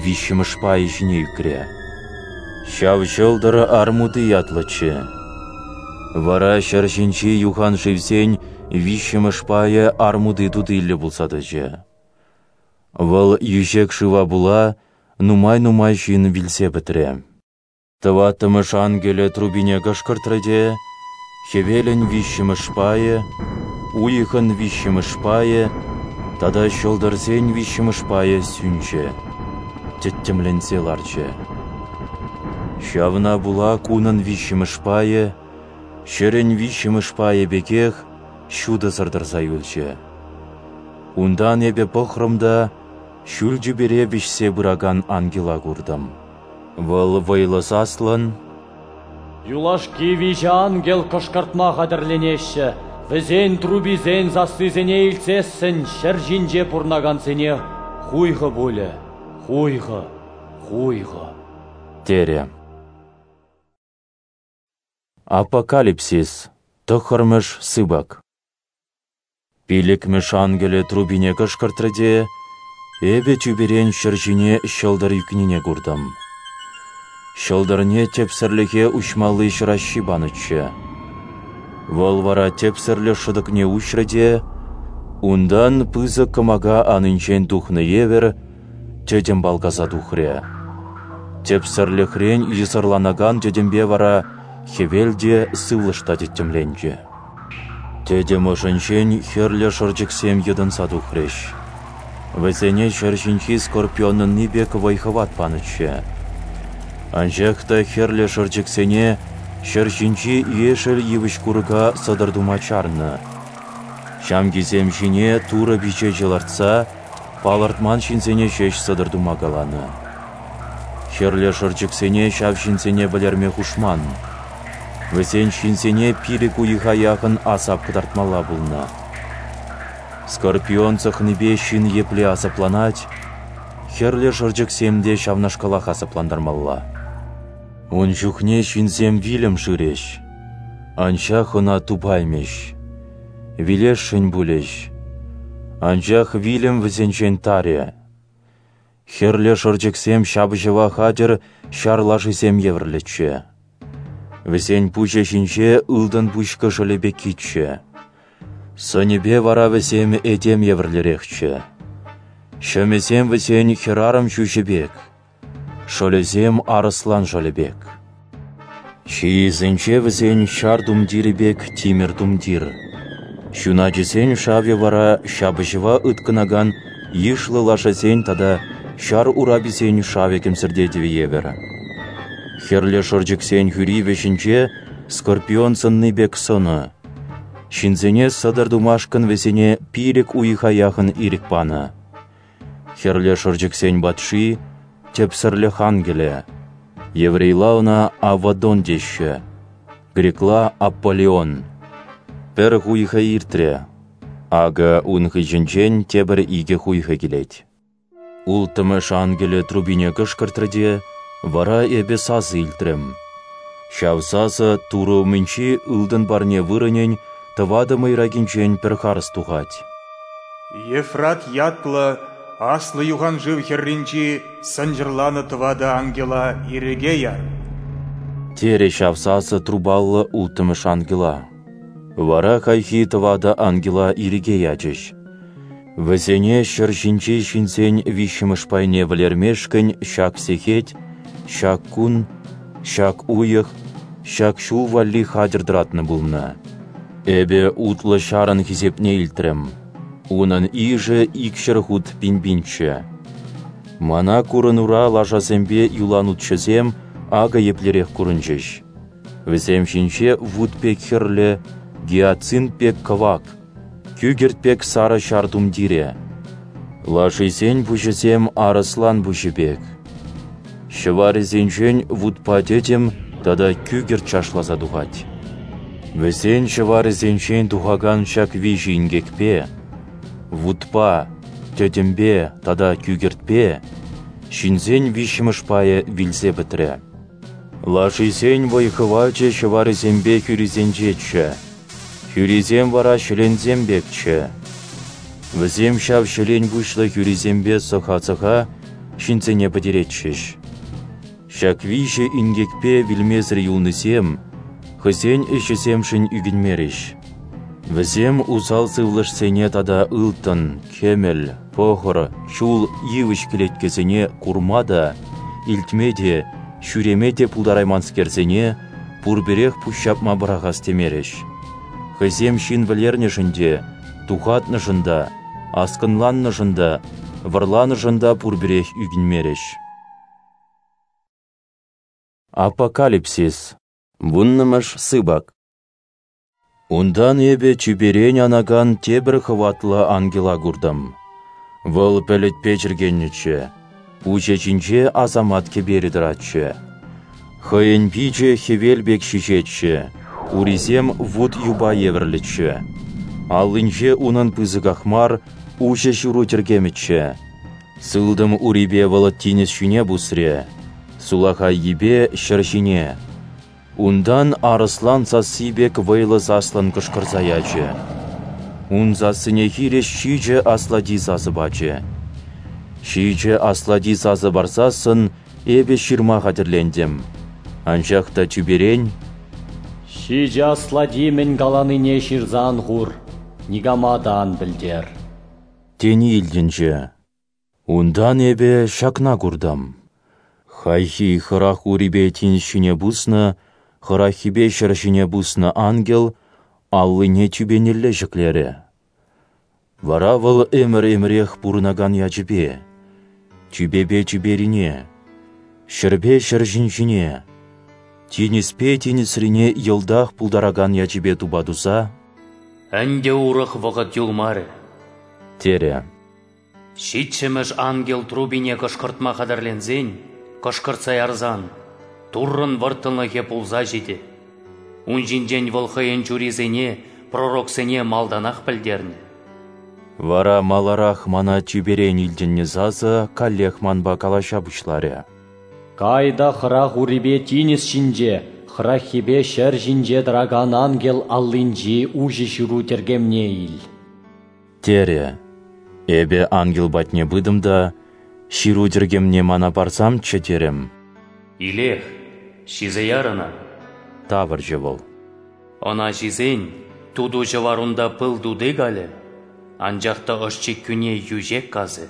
виҫҫӗмӗш пайӗ ҫине ӳкрӗ. Ҫав ҫӑлтӑр Армути ятлӑччӗ. Вара ҫӗр ҫинчи юхан шывсен виҫҫӗмӗш пайӗ армути тутиллӗ пулса тӑчӗ. Вӑл йӳҫек шыва пула нумай-нумай ҫын вилсе пӗтрӗ. Тӑваттӑмӗш ангелӗ трубине кӑшкӑртрӗ те, хӗвелӗн виҫҫӗмӗш пайӗ, уйӑхӑн виҫҫӗмӗш пайӗ тата ҫӑлтӑрсен виҫҫӗмӗш пайӗ сӳнчӗ, тӗттӗмленсе ларчӗ. Ҫавна пула кунӑн виҫҫӗмӗш пайӗ, ҫӗрӗн виҫҫӗмӗш пайӗ пекех ҫутӑсӑр тӑрса юлчӗ. Унтан эпӗ пӑхрӑм та ҫӳл тӳпере вӗҫсе пыракан ангела куртӑм. Вӑл вӑйлӑ саслӑн: «Юлашки виҫӗ ангел кӑшкӑртма хатӗрленеҫҫӗ, вӗсен трубисен сассисене илтсессӗн ҫӗр ҫинче пурӑнакансене хуйхӑ пулӗ, хуйхӑ, хуйхӑ», терӗ. Апокалипсис, тӑххӑрмӗш сыпӑк. Пилӗкмӗш ангелӗ трубине кӑшкӑртрӗ те, эпӗ тӳперен ҫӗр ҫине ҫӑлтӑр ӳкнине куртӑм. Ҫӑлтӑрне тӗпсӗрлӗхе уҫмалли ҫӑраҫҫи панӑччӗ. Вӑл вара тӗпсӗрлӗх шӑтӑкне уҫрӗ те, унтан пысӑк кӑмака анинчен тухнӑ евӗр тӗтӗм палкаса тухрӗ. Тӗпсӗрлӗхрен йӑсӑрланакан тӗтӗмпе вара хӗвел те, сывлӑш та тӗттӗмленчӗ. Тӗтӗм ӑшӗнчен хӗрлӗ шӑрчӑксем йӑтӑнса тухрӗҫ. Вӗсене ҫӗр ҫинчи скорпионӑнни пек вӑй-хӑват панӑччӗ. Анчах та хӗрлӗ шӑрчӑксене ҫӗр ҫинчи ешӗл йывӑҫ-курӑка сӑтӑр тума чарнӑ. Ҫамкисем ҫине Турӑ пичечӗ лартса, палӑртман ҫынсене ҫеҫ сӑтӑр тума каланӑ. Хӗрлӗ шӑрчӑксене ҫав ҫынсене вӗлерме хушман. Вӗсен ҫынсене пилӗк уйӑха яхӑн асап кӑтартмалла пулнӑ. Скорпион сӑхнипе ҫын епле асапланать, хӗрлӗ шӑрчӑксем те ҫавнашкалах асаплантармалла. Ун чухне ҫынсем вилӗм шырӗҫ, анчах ӑна тупаймӗҫ, вилесшӗн пулӗҫ, анчах вилӗм вӗсенчен тарӗ. Хӗрлӗ шӑрчӑксем ҫапӑҫӑва хатӗр ҫар лашисем евӗрлӗччӗ. Вӗсен пуҫӗ ҫинче ылтӑн пуҫ кӑшӑлӗ пеккиччӗ. Сӑнӗпе вара вӗсем этем евӗрлӗрехчӗ. Ҫӑмӗсем вӗсен хӗрарӑм ҫӳҫӗ пек, шӑлӗсем арӑслан шӑлӗ пек. Ҫийӗсенче вӗсен ҫар тумтирӗ пек тимӗр тумтир. Ҫуначӗсен шавӗ вара ҫапӑҫӑва ыткӑнакан йышлӑ лашасен тата ҫар ураписен шавӗ кӗмсӗртетӗвӗ евӗр. Хӗрлӗ шӑрчӑксен хӳри вӗҫӗнче скорпион сӑнни пек сӑнӑ. Ҫынсене сӑтӑр тумашкӑн вӗсене пилӗк уйӑха яхӑн ирӗк панӑ. Хӗрлӗ шӑрчӑксен патши тӗпсӗрлӗх ангелӗ. Еврейла ӑна Авадон теҫҫӗ, грекла Аполлион. Пӗр хуйхӑ иртрӗ. Акӑ ун хыҫӗнчен тепӗр икӗ хуйхӑ килет. Улттӑмӗш ангелӗ трубине кӑшкӑртрӗ те, вара эпӗ сасӑ илтрӗм. Ҫав сасӑ Турӑ умӗнчи ылтӑн парне вырӑнӗн тӑватӑ мӑйракинчен пӗр харӑс тухать. Ефрат ятлӑ аслӑ юханшыв хӗрринчи сӑнчӑрланӑ тӑватӑ ангела ирӗке яр, терӗ ҫав сасӑ трубаллӑ улттӑмӗш ангела. Вара хайхи тӑватӑ ангела ирӗке ячӗҫ. Вӗсене ҫӗр ҫинчи ҫынсен виҫҫӗмӗш пайне вӗлермешкӗн ҫак сехет, ҫак кун, ҫак уйӑх, ҫак ҫул валли хатӗр тӑратнӑ пулнӑ. Эпӗ утлӑ ҫарӑн хисепне илтрӗм. Унӑн йышӗ икҫӗр хут пин-пинччӗ. Мана курӑнура лашасемпе юланутҫӑсем акӑ еплерех курӑнчӗҫ. Вӗсем ҫинче вут пек хӗрлӗ, гиацинт пек кӑвак, кӳкӗрт пек сарӑ ҫар тумтирӗ. Лашисен пуҫӗсем арӑслан пуҫӗ пек. Ҫӑварӗсенчен вутпа тӗтӗм тата кӳкӗрт чашласа тухать. Вӗсен ҫӑварӗсенчен тухакан ҫак виҫӗ инкекпе, вутпа, тӗтӗмпе тата кӳкӗртпе, ҫынсен виҫҫӗмӗш пайӗ вилсе пӗтрӗ. Лашисен вӑй-хӑвачӗ ҫӑварӗсемпе хӳрисенчеччӗ. Хӳрисем вара ҫӗленсем пекчӗ. Вӗсем ҫав ҫӗлен пуҫлӑ хӳрисемпе сӑха-сӑха ҫынсене пӗтеретчӗҫ. Ҫак виҫӗ инкекпе вилмесӗр юлнисем хӑйсен ӗҫӗсемшӗн ӳкӗнмерӗҫ. Вӗсем усал сывлӑшсене тата ылтӑн, кӗмӗл, пӑхӑр, чул, йывӑҫ кӗлеткесене курма та, илтме те, ҫӳреме те пултарайманскерсене пурпӗрех пуҫҫапма пӑрахас темерӗҫ. Хӑйсем ҫын вӗлернӗшӗн те, тухатнӑшӑн та, аскӑнланнӑшӑн та, вӑрланӑшӑн та пурпӗрех ӳкӗнмерӗҫ. Апокалипсис. Вуннӑмӗш сыпӑк. Унтан эпӗ тӳперен анакан тепӗр хӑватлӑ ангела куртӑм. Вӑл пӗлӗтпе чӗркеннӗччӗ, пуҫӗ ҫинче асамат кӗперӗ тӑратчӗ. Хӑйӗн пичӗ хӗвел пек ҫиҫетчӗ, урисем вут юпа евӗрлӗччӗ. Аллинче унӑн пысӑках мар уҫӑ ҫыру тӗркемӗччӗ. Сылтӑм урипе вӑл тинӗс ҫине пусрӗ, сулахаййипе ҫӗр ҫине. Унтан арӑслан сасси пек вӑйлӑ саслӑн кӑшкӑрса ячӗ. Ун сассине хирӗҫ ҫичӗ аслати сасӑ пачӗ. Ҫичӗ аслати сасӑ парсассӑн эпӗ ҫырма хатӗрлентӗм. Анчах та тӳперен «Ҫичӗ аслати мӗн каланине ҫырса ан хур, никама та ан пӗлтер» тени илтӗнчӗ. Унтан эпӗ ҫакна куртӑм. Хайхи хӑрах урипе тинӗс ҫине пуснӑ, хӑраххипе ҫӗр ҫине пуснӑ ангел аллине тӳпенелле ҫӗклерӗ. Вара вӑл ӗмӗр-ӗмӗрех пурӑнакан ячӗпе, тӳпепе тӳперине, ҫӗрпе ҫӗр ҫинчине, тинӗспе тинӗсрине йӑлтах пултаракан ячӗпе тупа туса «Ӗнтӗ урӑх вӑхӑт юлмарӗ», терӗ. Ҫиччӗмӗш ангел трубине кӑшкӑртма хатӗрленсен, кӑшкӑртса ярсан, Туррӑн вӑрттӑнлӑхӗ пулса ҫитӗ. Ун ҫинчен вӑл хӑйӗн чурисене, пророксене малтанах пӗлтернӗ. Вара маларах мана тӳперен илтӗннӗ сасӑ каллех манпа калаҫа пуҫларӗ. Кай та хӑрах урипе тинӗс ҫинче, хӑраххипе ҫӗр ҫинче тӑракан ангел аллинчи уҫӑ ҫыру тӗркемне ил, терӗ. Эпӗ ангел патне пытӑм та ҫыру тӗркемне мана парсамччӗ терӗм. Илех, ҫисе яр ӑна, тавӑрчӗ вӑл. Ӑна ҫисен туту ҫӑварунта пыл тути калӗ, анчах та ӑш-чиккӳне йӳҫек касӗ.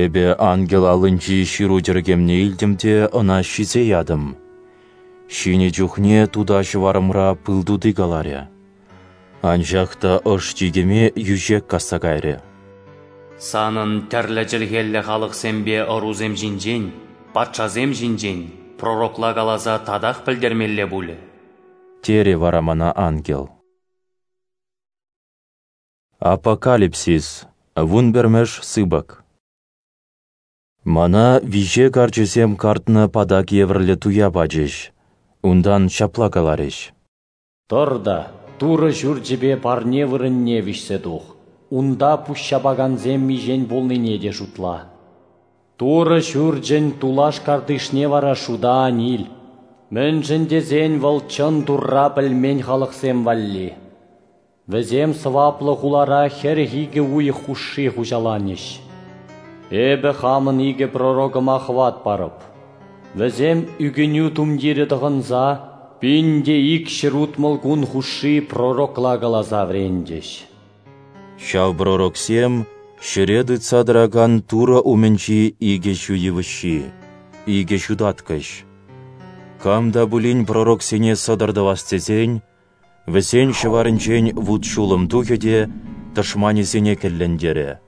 Эпӗ ангел аллинчи ҫыру тӗркемне илтӗм те ӑна ҫисе ятӑм. Ҫинӗ чухне тута ҫӑварӑмра пыл тути каларӗ. Анчах та ӑш-чикӗме йӳҫек касса кайрӗ. Санӑн тӗрлӗ чӗлхеллӗ халӑхсемпе ӑрусем ҫинчен, патшасем ҫинчен пророкла каласа татах пӗлтермелле пулӗ, терӗ вара мана ангел. Апокалипсис, вунпӗрмӗш сыпӑк. Мана виҫе карчӗсем картнӑ патак евӗрлӗ туя пачӗҫ. Унтан ҫапла каларӗҫ: Тӑр та Турӑ ҫурчӗпе парне вырӑнне виҫсе тух. Унта пуҫҫапакансем миҫен пулнине те шутла. Турӑ ҫурчӗн тулаш картишне вара шута ан ил. Мӗншӗн тесен вӑл чӑн Турра пӗлмен халӑхсем валли. Вӗсем сӑваплӑ хулара хӗрӗх икӗ уйӑх хушши хуҫаланӗҫ. Эпӗ хамӑн икӗ пророкӑма хӑват парӑп. Вӗсем ӳкӗнӳ тумтирӗ тӑхӑнса пин те ик ҫӗр утмӑл кун хушши пророкла каласа вӗрентӗҫ. Ҫав пророксем ҫӗре тытса тӑракан Турӑ умӗнчи икӗ ҫу йывӑҫҫи, икӗ ҫутаткӑҫ. Кам та пулин пророксене сӑтӑр тӑвас тесен, вӗсен ҫӑварӗнчен вут-ҫулӑм тухӗ те тӑшманӗсене кӗллентерӗ.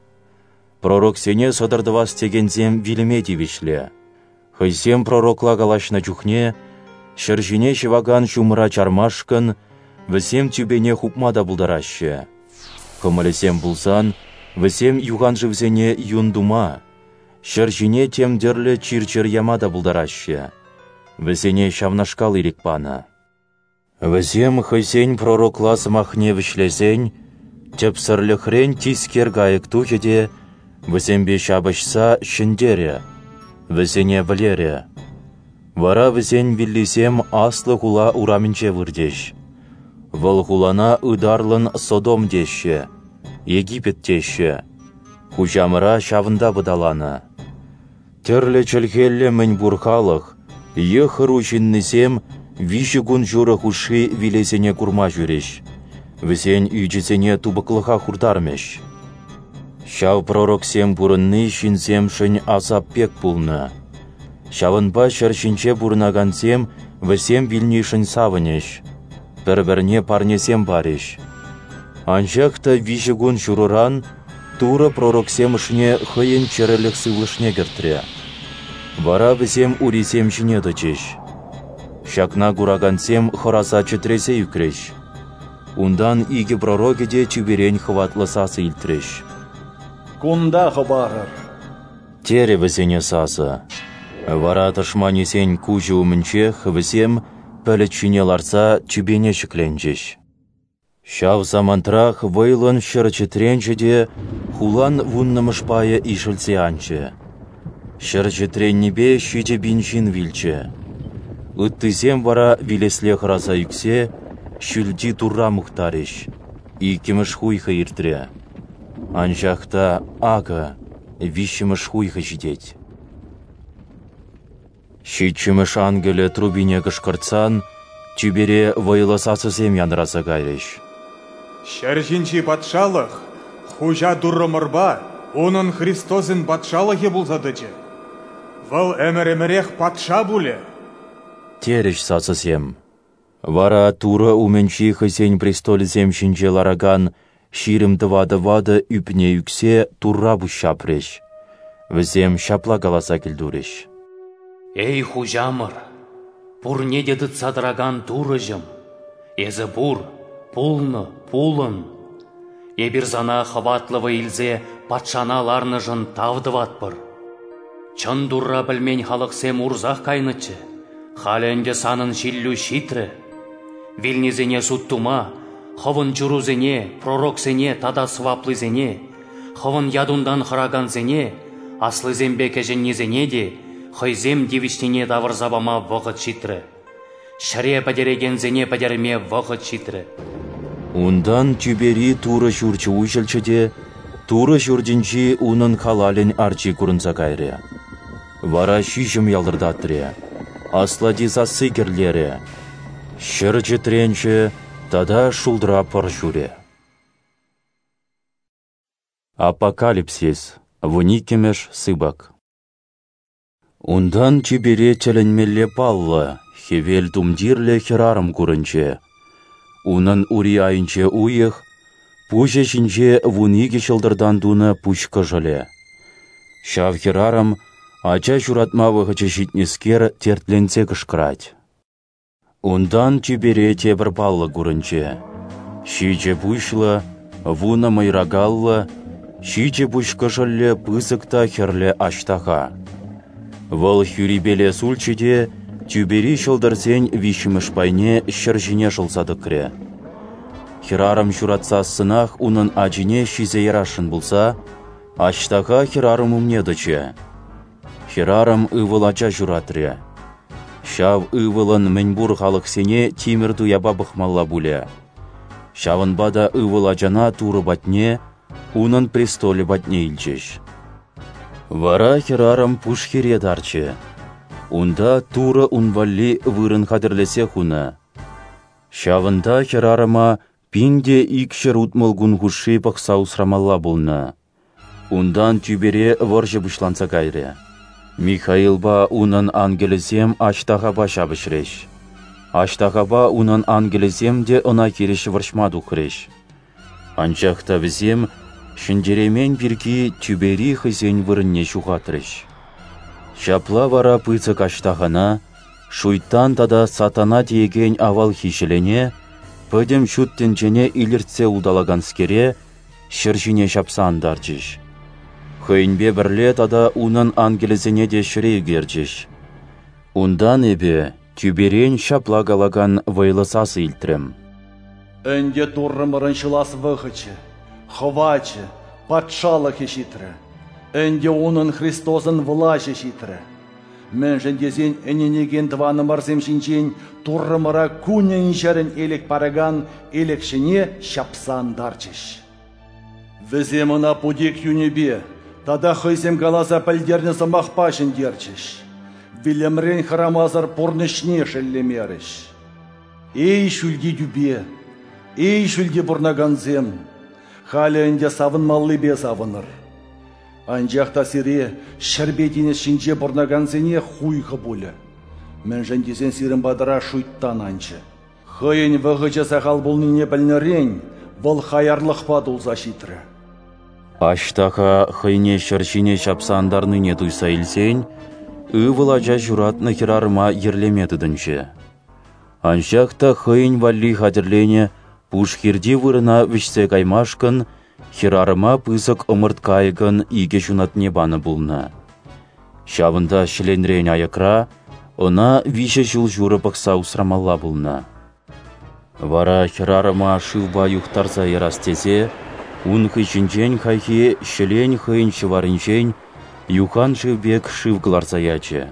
Пророксене сӑтӑр тӑвас текенсем вилӗме тивӗҫлӗ. Хӑйсем пророкла калаҫнӑ чухне ҫӗр ҫине ҫӑвакан ҫумӑра чармашкӑн вӗсем тӳпене хупма та пултараҫҫӗ. Кӑмӑлӗсем пулсан Вӗсем юханшывсене юн тума, ҫӗр ҫине тем тӗрлӗ чир-чӗр яма та пултараҫҫӗ. Вӗсене ҫавнашкал ирӗк панӑ. Вӗсем хӑйсен пророкла сӑмахне вӗҫлесен, тӗпсӗрлӗхрен тискер кайӑк тухӗ те вӗсемпе ҫапӑҫса ҫӗнтерӗ, вӗсене вӗлерӗ. Вара вӗсен виллисем аслӑ хула урамӗнче выртӗҫ. Вӑл хулана ытарлӑн Содом теҫҫӗ, Египет теҫҫӗ. Хуҫамӑра ҫавӑнта пӑталанӑ. Тӗрлӗ чӗлхеллӗ мӗнпур халӑх, йӑх-ӑру ҫыннисем виҫӗ кун ҫурӑ хушши вилесене курма ҫӳрӗҫ. Вӗсен ӳчӗсене тупӑклӑха хуртармӗҫ. Ҫав пророксем пурӑнни ҫынсемшӗн асап пек пулнӑ. Ҫавӑнпа ҫӗр ҫинче пурӑнакансем вӗсем вилнишӗн савӑнӗҫ, пӗр-пӗрне парнесем парӗҫ. Анчах та виҫӗ кун ҫурӑран Турӑ пророксем ӑшне хӑйӗн чӗрӗлӗх сывлӑшне кӗртрӗ. Вара вӗсем урисем ҫине тӑчӗҫ. Ҫакна куракансем хӑраса чӗтресе ӳкрӗҫ. Унтан икӗ пророкӗ те тӳперен хӑватлӑ сасӑ илтрӗҫ. «Кунта хӑпарӑр!» терӗ вӗсене сасӑ. Вара тӑшманӗсен куҫӗ умӗнчех вӗсем пӗлӗт ҫине ларса тӳпене ҫӗкленчӗҫ. Ҫав самантрах вӑйлӑн ҫӗр чӗтренчӗ те хулан вуннӑмӗш пайӗ ишӗлсе анчӗ. Ҫӗр чӗтреннипе ҫичӗ пин ҫын вилчӗ. Ыттисем вара вилесле хӑраса ӳксе ҫӳлти Турра мухтарӗҫ. Иккӗмӗш хуйхӑ иртрӗ. Анчах та акӑ виҫҫӗмӗш хуйхӑ ҫитет. Ҫиччӗмӗш ангелӗ трубине кӑшкӑртсан тӳпере вӑйлӑ сасӑсем янӑраса кайрӗҫ. Ҫӗр ҫинчи патшалӑх Хуҫа Туррӑмӑрпа унӑн Христосӗн патшалӑхӗ пулса тӑчӗ. Вӑл ӗмӗр-ӗмӗрех патша пулӗ. Терӗҫ сасӑсем. Вара Турӑ умӗнчи хӑйсен престолӗсем ҫинче ларакан ҫирӗм тӑватӑ ватӑ ӳпне ӳксе Турра пуҫҫапрӗҫ. Вӗсем ҫапла каласа кӗлтурӗҫ. Эй, Хуҫамӑр, пурне те тытса тӑракан Турӑҫӑм, эсӗ пур, пулнӑ, пулӑн. Эпир сана хӑватлӑ вӑй илсе патшана ларнӑшӑн тав тӑватпӑр. Чӑн Турра пӗлмен халӑхсем урсах кайнӑччӗ, халӗ ӗнтӗ санӑн ҫиллӳ ҫитрӗ. Вилнисене суд тума, хӑвӑн чурусене, пророксене тата сӑваплисене, хӑвӑн ятунтан хӑракансене, аслисемпе кӗҫӗннисене те хӑйсем тивӗҫнине тавӑрса пама вӑхӑт ҫитрӗ. Ҫӗре пӗтерекенсене пӗтерме вӑхӑт ҫитрӗ. Унтан тӳпери Турӑ ҫурчӗ уҫӑлчӗ те, Турӑ ҫуртӗнчи унӑн халалӗн арчи курӑнса кайрӗ. Вара ҫиҫӗм ялтӑртатрӗ, аслати сасси кӗрлерӗ, ҫӗр чӗтренчӗ тата шултра пӑр ҫурӗ. Апокалипсис, вуниккӗмӗш сыпӑк. Унтан тӳпере тӗлӗнмелле паллӑ, хӗвел тумтирлӗ хӗрарӑм курӑнчӗ. Унӑн ури айӗнче уйӑх, пуҫӗ ҫинче вун икӗ ҫӑлтӑртан тунӑ пуҫ кӑшӑлӗ. Ҫав хӗрарӑм ача ҫуратма вӑхӑчӗ ҫитнӗскер тертленсе кӑшкӑрать. Унтан тӳпере тепӗр паллӑ курӑнчӗ. Ҫичӗ пуҫлӑ, вунӑ мӑйракаллӑ, ҫичӗ пуҫ кӑшӑллӗ пысӑк та хӗрлӗ аҫтаха. Вӑл хӳрипеле сулчӗ те тӳпери ҫӑлтӑрсен виҫҫӗмӗш пайне ҫӗр ҫине шӑлса тӑкрӗ. Хӗрарӑм ҫуратсассӑнах унӑн ачине ҫисе ярасшӑн пулса, аҫтаха хӗрарӑм умне тӑчӗ. Хӗрарӑм ывӑл ача ҫуратрӗ. Ҫав ывӑлӑн мӗнпур халӑхсене тимӗр туяпа пӑхмалла пулӗ. Ҫавӑнпа та ывӑл ачана Турӑ патне, унӑн престолӗ патне илчӗҫ. Вара хӗрарӑм пушхире тарчӗ. Унта Турӑ ун валли вырӑн хатӗрлесе хунӑ. Ҫавӑнта хӗрарӑма пин те икҫӗр утмӑл кун хушши пӑхса усрамалла пулнӑ. Унтан тӳпере вӑрҫӑ пуҫланса кайрӗ. Михаилпа унӑн ангелӗсем аҫтахапа ҫапӑҫрӗҫ. Аҫтахапа унӑн ангелӗсем те ӑна хирӗҫ вӑрҫма тухрӗҫ. Анчах та вӗсем ҫӗнтереймен пирки тӳпери хӑйсен вырӑнне ҫухатрӗҫ. Ҫапла вара пысӑк аҫтахана, шуйттан тата сатана теекен авалхи ҫӗлене, пӗтӗм ҫут тӗнчене илӗртсе улталаканскере, ҫӗр ҫине ҫапса антарчӗҫ. Хӑйӗнпе пӗрле тата унӑн ангелӗсене те ҫӗре ӳкерчӗҫ. Унтан эпӗ тӳперен ҫапла калакан вӑйлӑ сасӑ илтрӗм: Ӗнтӗ Туррӑмӑрӑн ҫӑлас вӑхӑчӗ, хӑвачӗ, патшалӑхӗ ҫитрӗ. Ӗнтӗ унӑн Христосӑн влаҫӗ ҫитрӗ. Мӗншӗн тесен ӗненекен тӑванӑмӑрсем ҫинчен Туррӑмӑра кунӗн-ҫӗрӗн элек паракан элекҫӗне ҫапса антарчӗҫ. Вӗсем ӑна путек юнӗпе тата хӑйсем каласа пӗлтернӗ сӑмахпа ҫӗнтерчӗҫ. Вилӗмрен хӑрамасӑр пурнӑҫне шеллемерӗҫ. Эй, ҫӳлти тӳпе, эй, ҫӳлте пурӑнакансем, халӗ ӗнтӗ савӑнмаллипе савӑнӑр. Анчах та сире ҫӗрпе тинӗс ҫинче пурӑнакансене хуйхӑ пулӗ. Мӗншӗн тесен сирӗн патӑра шуйттан анчӗ. Хӑйӗн вӑхӑчӗ сахал пулнине пӗлнӗрен вӑл хаярлӑхпа тулса ҫитрӗ. Аҫтаха хӑйне ҫӗр ҫине ҫапса антарнине туйса илсен, ывӑл ача ҫуратнӑ хӗрарӑма йӗрлеме тытӑнчӗ. Анчах та хӑйӗн валли хатӗрленӗ пуш хирти вырӑна вӗҫсе каймашкӑн хӗрарӑма пысӑк ӑмӑрт кайӑкӑн икӗ ҫунатне панӑ пулнӑ. Ҫавӑнта ҫӗленрен аякра ӑна виҫӗ ҫул ҫурӑ пӑхса усрамалла пулнӑ. Вара хӗрарӑма шывпа юхтарса ярас тесе ун хыҫӗнчен хайхи ҫӗлен хӑйӗн ҫӑварӗнчен юхан шыв пек шыв кӑларса ячӗ.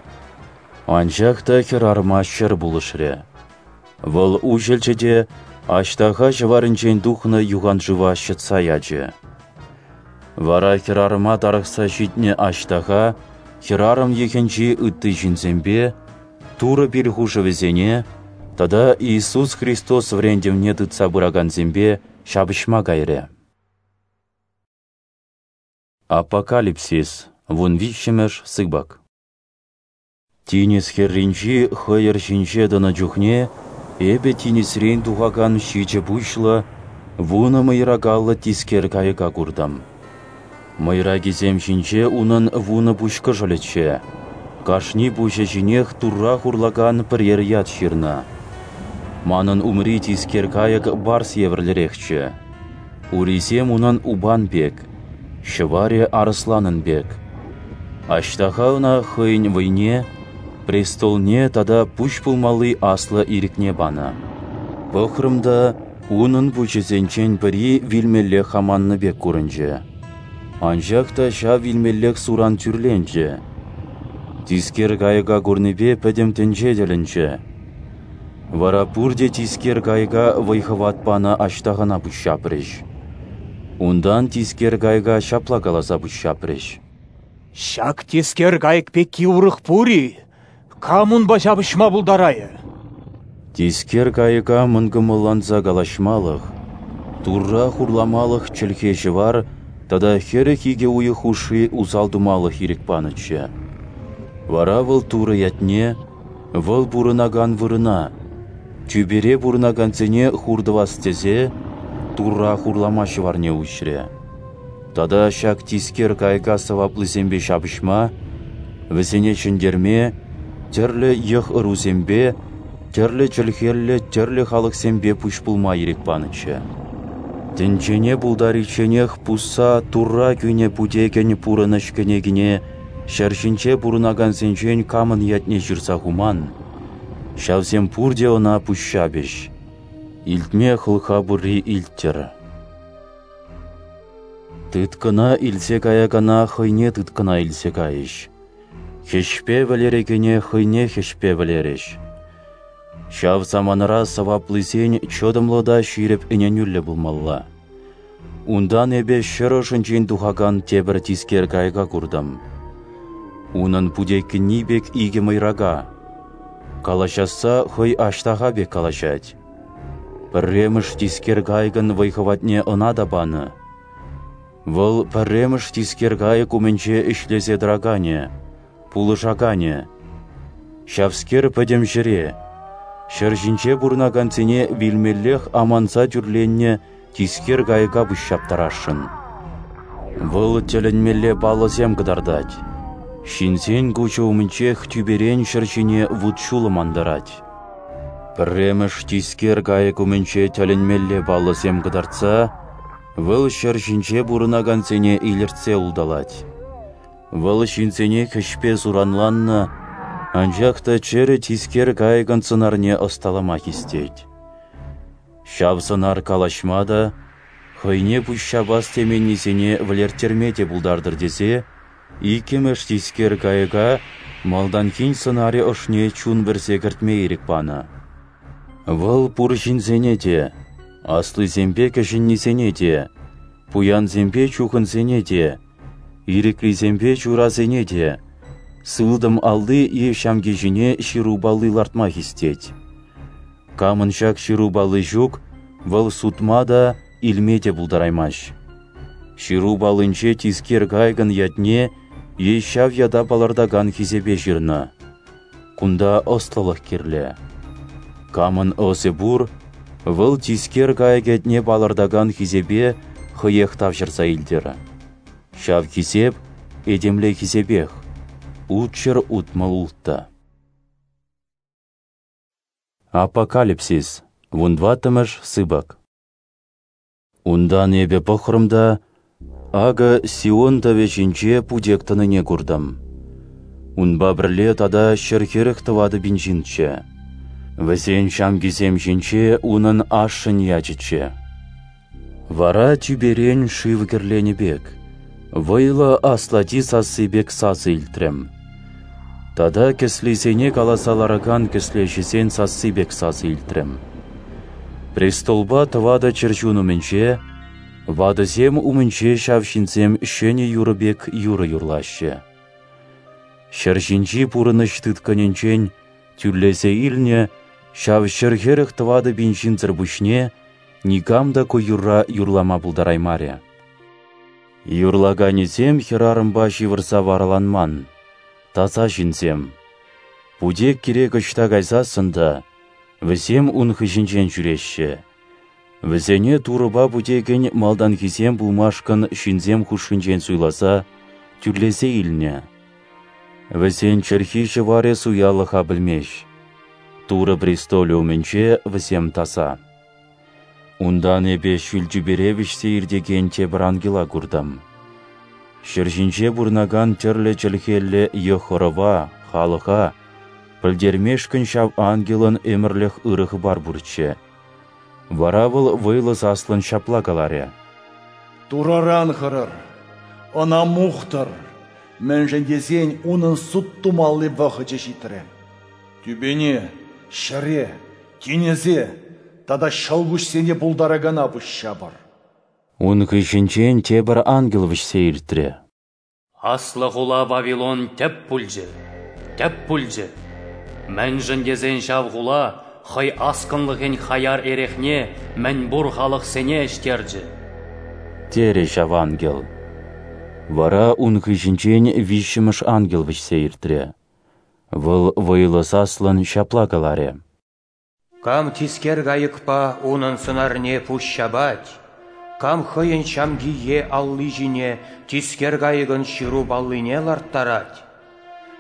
Анчах та хӗрарӑма ҫӗр пулӑшрӗ. Вӑл уҫӑлчӗ те аҫтаха ҫӑварӗнчен тухнӑ юхан шыва ҫӑтса ячӗ. Вара хӗрарӑма тарӑхса ҫитнӗ аҫтаха хӗрарӑм йӑхӗнчи ытти ҫынсемпе Турӑ пил хушӑвӗсене тата Иисус Христос вӗрентӗвне тытса пыракансемпе ҫапӑҫма кайрӗ. Апокалипсис, вун виҫҫӗмӗш сыпӑк. Тинӗс хӗрринчи хӑйӑр ҫинче тӑнӑ чухне эпӗ тинӗсрен тухакан ҫичӗ пуҫлӑ, вунӑ мӑйракаллӑ тискер кайӑка куртӑм. Мӑйракисем ҫинче унӑн вунӑ пуҫ кӑшӑлӗччӗ, кашни пуҫӗ ҫинех Турра хурлакан пӗрер ят ҫырнӑ. Манӑн умри тискер кайӑк барс евӗрлӗрехчӗ. Урисем унӑн упан пек, ҫӑварӗ арӑсланӑн пек. Аҫтаха ӑна хӑйӗн вӑйне, престолне тата пуҫ пулмалли аслӑ ирӗкне панӑ. Пӑхрӑм та, унӑн пуҫӗсенчен пӗри вилмеллех аманнӑ пек курӑнчӗ. Анчах та ҫав вилмеллех суран тӳрленчӗ. Тискер кайӑка курнипе пӗтӗм тӗнче тӗлӗнчӗ. Вара пурте тискер кайӑка вӑй-хӑват панӑ аҫтахана пуҫҫапрӗҫ. Унтан тискер кайӑка ҫапла каласа пуҫҫапрӗҫ: Ҫак тискер кайӑк пекки урӑх пур-и? Кам унпа ҫапӑҫма пултарайӗ? Тискер кайӑка мӑнкӑмӑлланса калаҫмалӑх, Турра хурламалӑх чӗлхе-ҫӑвар тата хӗрӗх икӗ уйӑх хушши усал тумалӑх ирӗк панӑччӗ. Вара вӑл Турӑ ятне, вӑл пурӑнакан вырӑна, тӳпере пурӑнакансене хур тӑвас тесе Турра хурлама ҫӑварне уҫрӗ. Тата ҫак тискер кайӑка сӑваплисемпе ҫапӑҫма, вӗсене ҫӗнтерме, тӗрлӗ йӑх-ӑрусемпе, тӗрлӗ чӗлхеллӗ тӗрлӗ халӑхсемпе пуҫ пулма ирӗк панӑччӗ. Тӗнчене пултаричченех пусса Турра кӳнӗ путекӗн пурӑнӑҫ кӗнекине ҫӗр ҫинче пурӑнакансенчен камӑн ятне ҫырса хуман, ҫавсем пурте ӑна пуҫҫапӗҫ. Илтме хӑлха пурри илттӗр. Тыткӑна илсе каякана хӑйне тыткӑна илсе кайӗҫ. Хӗҫпе вӗлерекене хӑйне хӗҫпе вӗлерӗҫ. Ҫав саманара сӑваплисен чӑтӑмлӑ та ҫирӗп ӗненӳллӗ пулмалла. Унтан эпӗ ҫӗр ӑшӗнчен тухакан тепӗр тискер кайӑка куртӑм. Унӑн путеккӗнни пек икӗ мӑйрака. Калаҫасса хӑй аҫтаха пек калаҫать. Пӗрремӗш тискер кайӑкӑн вӑй-хӑватне ӑна та панӑ. Вӑл пӗрремӗш тискер кайӑк умӗнче ӗҫлесе тӑраканӗ, пулӑшаканӗ. Ҫавскер пӗтӗм ҫӗре, ҫӗр ҫинче пурӑнакансене вилмеллех аманса тӳрленнӗ тискер кайӑка пуҫҫаптарасшӑн. Вӑл тӗлӗнмелле паллӑсем кӑтартать. Ҫынсен куҫӗ умӗнчех тӳперен ҫӗр ҫине вут-ҫулӑм антарать. Пӗрремӗш тискер кайӑк умӗнче тӗлӗнмелле паллӑсем кӑтартса, Вӑл ҫӗр ҫинче пурӑнакансене илӗртсе улталать. Вӑл ҫынсене хӗҫпе суранланнӑ, анчах та чӗрӗ тискер кайӑкӑн сӑнарне ӑсталама хистет. Ҫав сӑнар калаҫма та, хӑйне пуҫҫапас теменнисене вӗлерттерме те пултартӑр тесе, иккӗмӗш тискер кайӑка малтанхин сӑнарӗ ӑшне чун вӗрсе кӗртме ирӗк панӑ. Вӑл пур ҫынсене те, аслисемпе кӗҫӗннисене те, пуянсемпе чухӑнсене те, ирӗклисемпе чурасене те, сылтӑм алли е ҫамки ҫине ҫыру палли лартма хистет. Камӑн ҫак ҫыру палли ҫук, вӑл сутма та, илме те пултараймасть. Ҫыру паллинче тискер кайӑкӑн ятне е ҫав ята палӑртакан хисепе ҫырнӑ. Кунта ӑслӑлӑх кирлӗ. Камӑн ӑсӗ пур, вӑл тискер кайӑк ятне палӑртакан хисепе хӑех тавҫӑрса илтӗр. Ҫав хисеп этемле хисепех ултҫӗр утмӑл улттӑ. Апокалипсис, вунтӑваттӑмӗш сыпӑк. Унтан эпӗ пӑхрӑм та, акӑ Сион тӑвӗ ҫинче путек тӑнине куртӑм. Унпа пӗрле тата ҫӗр хӗрӗх тӑватӑ пин ҫынччӗ. Вӗсен ҫамкисем ҫинче унӑн ашшӗн ячӗччӗ. Вара тӳперен шыв кӗрленӗ пек, вӑйлӑ аслати сасси пек сасӑ илтрӗм. Тата кӗслисене каласа ларакан кӗслеҫӗсен сасси пек сасӑ илтрӗм. Престолпа тӑватӑ чӗрчун умӗнче, ватӑсем умӗнче ҫав ҫынсем ҫӗнӗ юрӑ пек юрӑ юрлаҫҫӗ. Ҫӗр ҫинчи пурӑнӑҫ тыткӑнӗнчен тӳлесе илнӗ ҫав ҫӗр хӗрӗх тӑватӑ пин ҫынсӑр пуҫне никам та ку юрра юрлама пултараймарӗ. Юрлаканӗсем хӗрарӑмпа ҫывӑрса вараланман, таса ҫынсем. Путек кирек ӑҫта кайсассӑн та, вӗсем ун хыҫӗнчен ҫӳреҫҫӗ. Вӗсене Турӑпа путекӗн малтанхисем пулмашкӑн ҫынсем хушшинчен суйласа, тӳлесе илнӗ. Вӗсен чӗлхи ҫӑварӗ суялӑха пӗлмест. Турӑ престолӗ умӗнче вӗсем таса. Унтан эпӗ ҫӳл тӳпере вӗҫсе иртекен тепӗр ангела куртӑм. Ҫӗр ҫинче пурӑнакан тӗрлӗ чӗлхеллӗ йӑх-ӑрӑва, халӑха пӗлтермешкӗн ҫав ангелӑн ӗмӗрлӗх ырӑ хыпар пурччӗ. Вара вӑл вӑйлӑ саслӑн ҫапла каларӗ: Турӑран хӑрӑр, ӑна мухтӑр, мӗншӗн тесен унӑн суд тумалли вӑхӑчӗ ҫитрӗ. Тӳпене, ҫӗре, тинӗсе тата ҫӑлкуҫсене пултаракана пуҫҫапӑр. Ун хыҫӗнчен тепӗр ангел вӗҫсе иртрӗ. Аслӑ хула Вавилон тӗп пулчӗ, тӗп пулчӗ. Мӗншӗн тесен ҫав хула хӑй аскӑнлӑхӗн хаяр эрехне мӗнпур халӑхсене ӗҫтерчӗ. Терӗ ҫав ангел. Вара ун хыҫӗнчен виҫҫӗмӗш ангел вӗҫсе иртрӗ. Вӑл вӑйлӑ саслӑн ҫапла каларӗ: Кам тискер кайӑкпа унӑн сӑнарне пуҫҫапать, кам хӑйӗн ҫамки е алли ҫине тискер кайӑкӑн ҫыру паллине ларттарать,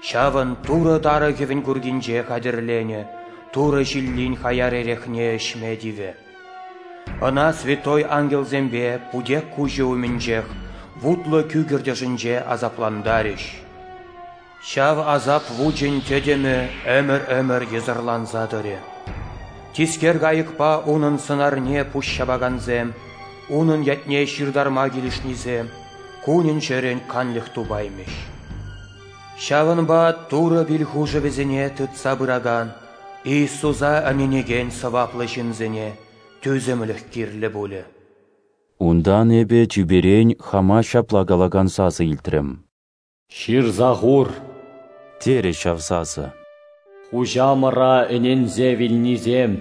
ҫавӑн Турӑ тарӑхӗвӗн куркинче хатӗрленӗ Турӑ ҫиллин хаяр эрехне ӗҫме тивӗ. Ӑна святой ангелсемпе путек куҫӗ умӗнчех вутлӑ кӳкӗртӗшӗнче асаплантарӗҫ. Ҫав асап вучӗн тӗтӗмӗ ӗмӗр-ӗмӗр йӑсӑрланса тӑрӗ. Тискер кайӑкпа унӑн сӑнарне пуҫҫапакансем, унӑн ятне ҫыртарма килӗшнисем кунӗн-ҫӗрӗн канлӗх тупаймӗҫ. Ҫавӑнпа Турӑ пил хушӑвӗсене тытса пыракан Иисуса ӗненекен сӑваплӑ ҫынсене тӳсӗмлӗх кирлӗ пулӗ. Унтан эпӗ тӳперен хама ҫапла калакан сасӑ илтрӗм: Ҫырса хур, терӗ ҫав сасӑ. Хуҫамӑра ӗненсе вилнисем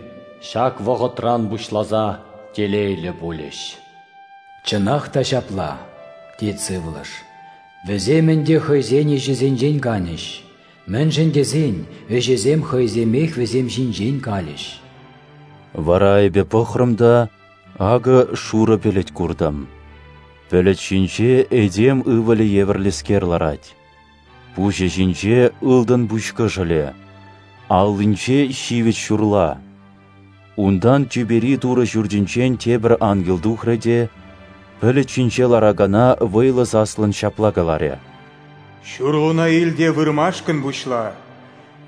ҫак вӑхӑтран пуҫласа телейлӗ пулӗҫ. Чӑнах та ҫапла, тет сывлӑш. Вӗсем ӗнтӗ хӑйсен ӗҫӗсенчен канӗҫ, мӗншӗн тесен ӗҫӗсем хӑйсемех вӗсем ҫинчен калӗҫ. Вара эпӗ пӑхрӑм та, акӑ шурӑ пӗлӗт куртӑм. Пӗлӗт ҫинче этем ывӑлӗ евӗрлӗскер ларать. Пуҫӗ ҫинче ылтӑн пуҫ кӑшӑлӗ, аллинче ҫивӗч ҫурла. Унтан тӳпери Турӑ ҫуртӗнчен тепӗр ангел тухрӗ те, пӗлӗт ҫинче ларакана вӑйлӑ саслӑн ҫапла каларӗ: «Ҫурлуна ил те вырмашкӑн пуҫла,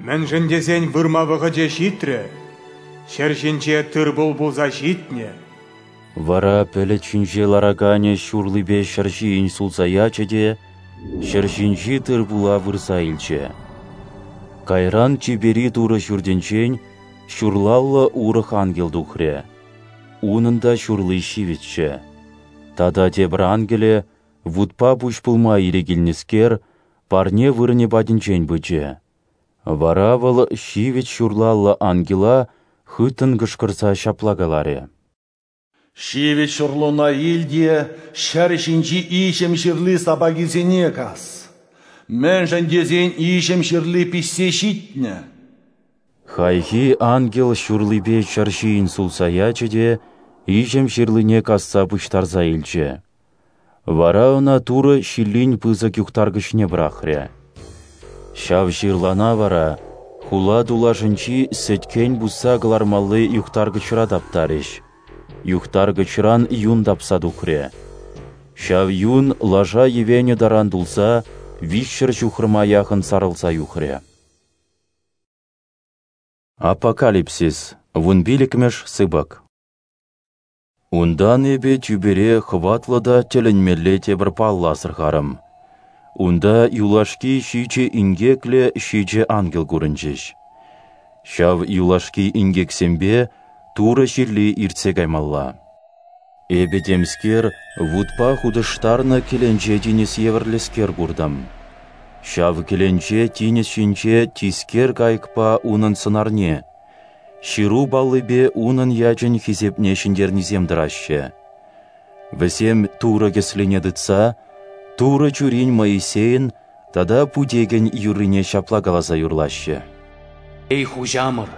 мӗншӗн тесен вырма вӑхӑчӗ ҫитрӗ, ҫӗр ҫинче тыр-пул пулса ҫитнӗ». Вара пӗлӗт ҫинче лараканӗ ҫурлипе ҫӗр ҫийӗн сулса ячӗ те ҫӗр ҫинчи тыр-пула вырса илчӗ. Кайран тӳпери Турӑ ҫуртӗнчен ҫурлаллӑ урӑх ангел тухрӗ. Унӑн та ҫурли ҫивӗччӗ. Тата тепӗр ангелӗ, вутпа пуҫ пулма ирӗк илнӗскер, парне вырӑнӗ патӗнчен пычӗ. Вара вӑл ҫивӗч ҫурлаллӑ ангела хыттӑн кӑшкӑрса ҫапла каларӗ: «Ҫивӗч ҫурлуна ил те ҫӗр ҫинчи иҫӗм ҫырли сапакисене кас, мӗншӗн тесен иҫӗм ҫырли пиҫсе ҫитнӗ». Хайхи ангел ҫурлипе ҫӗр ҫийӗн сулса ячӗ те иҫӗм ҫырлине касса пуҫтарса илчӗ. Вара ӑна Турӑ ҫиллин пысӑк юхтаркӑчне пӑрахрӗ. Ҫав ҫырлана вара хула тулашӗнчи сӗткен пусса кӑлармалли юхтаркӑчра таптарӗҫ. Юхтаркӑчран юн тапса тухрӗ. Ҫав юн лаша йӗвенӗ таран тулса виҫҫӗр ҫухрӑма яхӑн сарӑлса юхрӗ. Апокалипсис, вунпиллӗкмӗш сыпӑк. Унтан эпӗ тӳпере хӑватлӑ та тӗлӗнмелле тепӗр паллӑ асӑрхарӑм. Унта юлашки ҫичӗ инкеклӗ ҫичӗ ангел курӑнчӗҫ. Ҫав юлашки инкексемпе Турӑ ҫилли иртсе каймалла. Эпӗ темскер вутпа хутӑштарнӑ кӗленче тинӗс евӗрлӗскер куртӑм. Ҫав кӗленче тинӗс ҫинче тискер кайӑкпа унӑн сӑнарне, ҫыру паллипе унӑн ячӗн хисепне ҫӗнтернисем тӑраҫҫӗ. Вӗсем Турӑ кӗслине тытса, Турӑ чурин Моисейӗн тата Путекӗн юррине ҫапла каласа юрлаҫҫӗ: «Эй, Хуҫамӑр,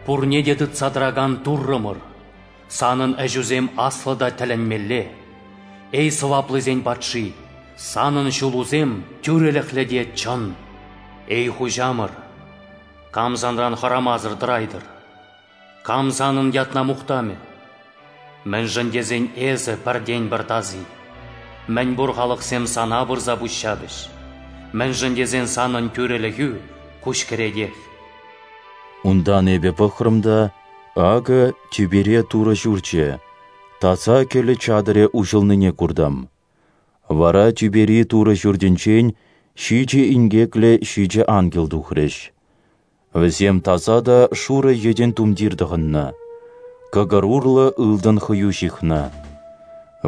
пурне те тытса тӑракан Туррӑмӑр, Санӑн ӗҫӳсем аслӑ та тӗлӗнмелле. Эй, сӑваплисен патши, Санӑн ҫулусем тӳрӗлӗхлӗ те чӑн. Эй, Хуҫамӑр, кам Санран хӑрамасӑр тӑрайтӑр? Кам Санӑн ятна мухтамӗ? Мӗншӗн тесен Эсӗ пӗртен-пӗр таси. Мӗнпур халӑхсем Сана пырса пуҫҫапӗҫ. Мӗншӗн тесен Санӑн тӳрӗлӗхӳ куҫкӗретех». Унтан эпӗ пӑхрӑм та, акӑ тӳпере Турӑ ҫурчӗ, таса кӗлӗ чатӑрӗ уҫӑлнине куртӑм. Вара тӳпери Турӑ ҫуртӗнчен ҫичӗ инкеклӗ ҫичӗ ангел тухрӗҫ. Вӗсем таса та шурӑ йӗтӗн тумтир тӑхӑннӑ, кӑкӑр урлӑ ылтӑн хӑю ҫыхнӑ.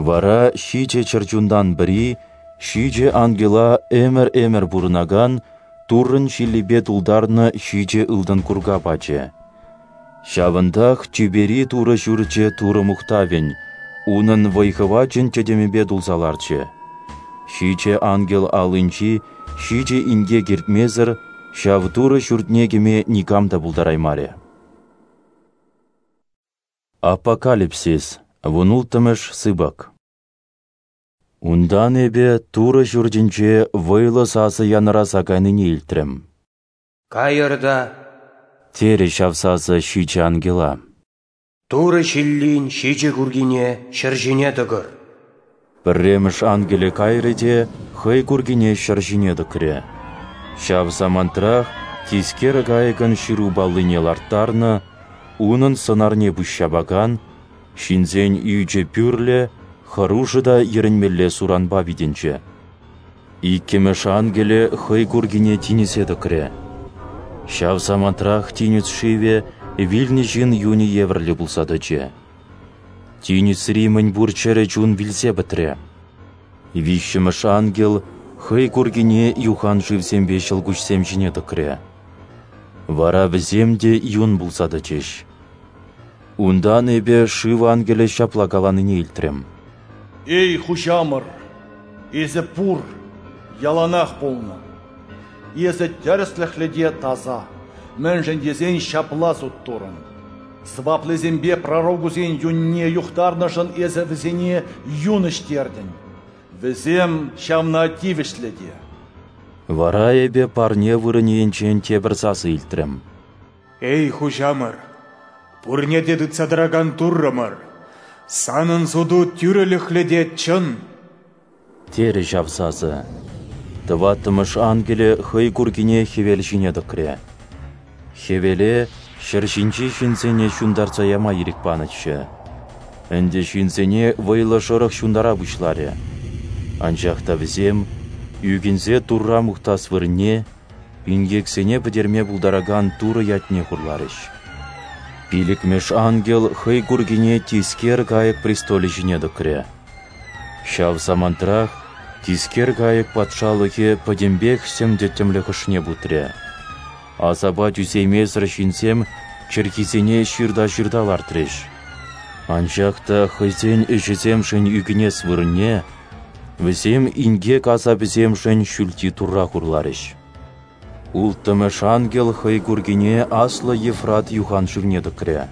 Вара ҫичӗ чӗрчунтан пӗри ҫичӗ ангела ӗмӗр-ӗмӗр пурӑнакан Туррӑн ҫиллипе тултарнӑ ҫичӗ ылтӑн курка пачӗ. Ҫавӑнтах тӳпери Турӑ ҫурчӗ Турӑ мухтавӗн, унӑн вӑй-хӑвачӗн тӗтӗмӗпе тулса ларчӗ. Ҫичӗ ангел аллинчи ҫичӗ инкек иртмесӗр ҫав Турӑ ҫуртне кӗме никам та пултараймарӗ. Апокалипсис, вунулттӑмӗш сыпӑк. Унтан эпӗ Турӑ ҫуртӗнче вӑйлӑ сасӑ янӑраса кайнине илтрӗм. «Кайӑр та, — терӗ ҫав сасӑ ҫичӗ ангела, — Турӑ ҫиллин ҫичӗ куркине ҫӗр ҫине тӑкӑр». Пӗрремӗш ангелӗ кайрӗ те хӑй куркине ҫӗр ҫине тӑкрӗ. Ҫав самантрах тискер кайӑкӑн ҫыру паллине ларттарнӑ, унӑн сӑнарне пуҫҫапакан, ҫынсен ӳчӗ пӳрлӗ, хӑрушӑ та йӗрӗнмелле суранпа витӗнчӗ. Иккӗмӗш ангелӗ хӑй куркине тинӗсе тӑкрӗ. Ҫав самантрах тинӗс шывӗ вилнӗ ҫын юнӗ евӗрлӗ пулса тӑчӗ. Тинӗсри мӗнпур чӗрӗ чун вилсе пӗтрӗ. Виҫҫӗмӗш ангел хӑй куркине юхан шывсемпе ҫӑлкуҫсем ҫине тӑкрӗ. Вара вӗсем те юн пулса тӑчӗҫ. Унтан эпӗ шыв ангелӗ ҫапла каланине илтрӗм: «Эй, Хуҫамӑр, Эсӗ пур, яланах пулнӑ. Эсӗ тӗрӗслӗхлӗ те таса, мӗншӗн тесен ҫапла суд турӑн. Сӑваплисемпе пророкусен юнне юхтарнӑшӑн эсӗ вӗсене юн ӗҫтертӗн. Вӗсем ҫавна тивӗҫлӗ те». Вара эпӗ парне вырӑнӗ енчен тепӗр сасӑ илтрӗм: «Эй, Хуҫамӑр, пурне те тытса тӑракан Туррӑмӑр, Санӑн суту тӳрӗлӗхлӗ те чӑн. Терӗ ҫав сасӑ. Тӑваттӑмӗш ангелӗ хӑй куркине хӗвел ҫине тӑкрӗ. Хӗвеле ҫӗр ҫинчи ҫынсене ҫунтарса яма ирӗк панӑччӗ. Ӗнтӗ ҫынсене вӑйлӑ шӑрӑх ҫунтара пуҫларӗ. Анчах та вӗсем, ӳкӗнсе Турра мухтас вырӑнне, инкексене пӗтерме пултаракан Турӑ ятне хурларӗҫ. Пилӗкмӗш ангел хӑй куркине тискер кайӑк престолӗ ҫине тӑкрӗ. Ҫав самантрах тискер кайӑк патшалӑхӗ пӗтӗмпех сӗм-тӗттӗмлӗх ӑшне путрӗ. Асапа тӳсеймесӗр ҫынсем чӗлхисене ҫырта-ҫырта лартрӗҫ. Анчах та хӑйсен ӗҫӗсемшӗн ӳкӗнес вырӑнне вӗсем инкек асапӗсемшӗн ҫӳлти Турра хурларӗҫ. Улттӑмӗш ангел хӑй куркине аслӑ Ефрат юхан шывне тӑкрӗ.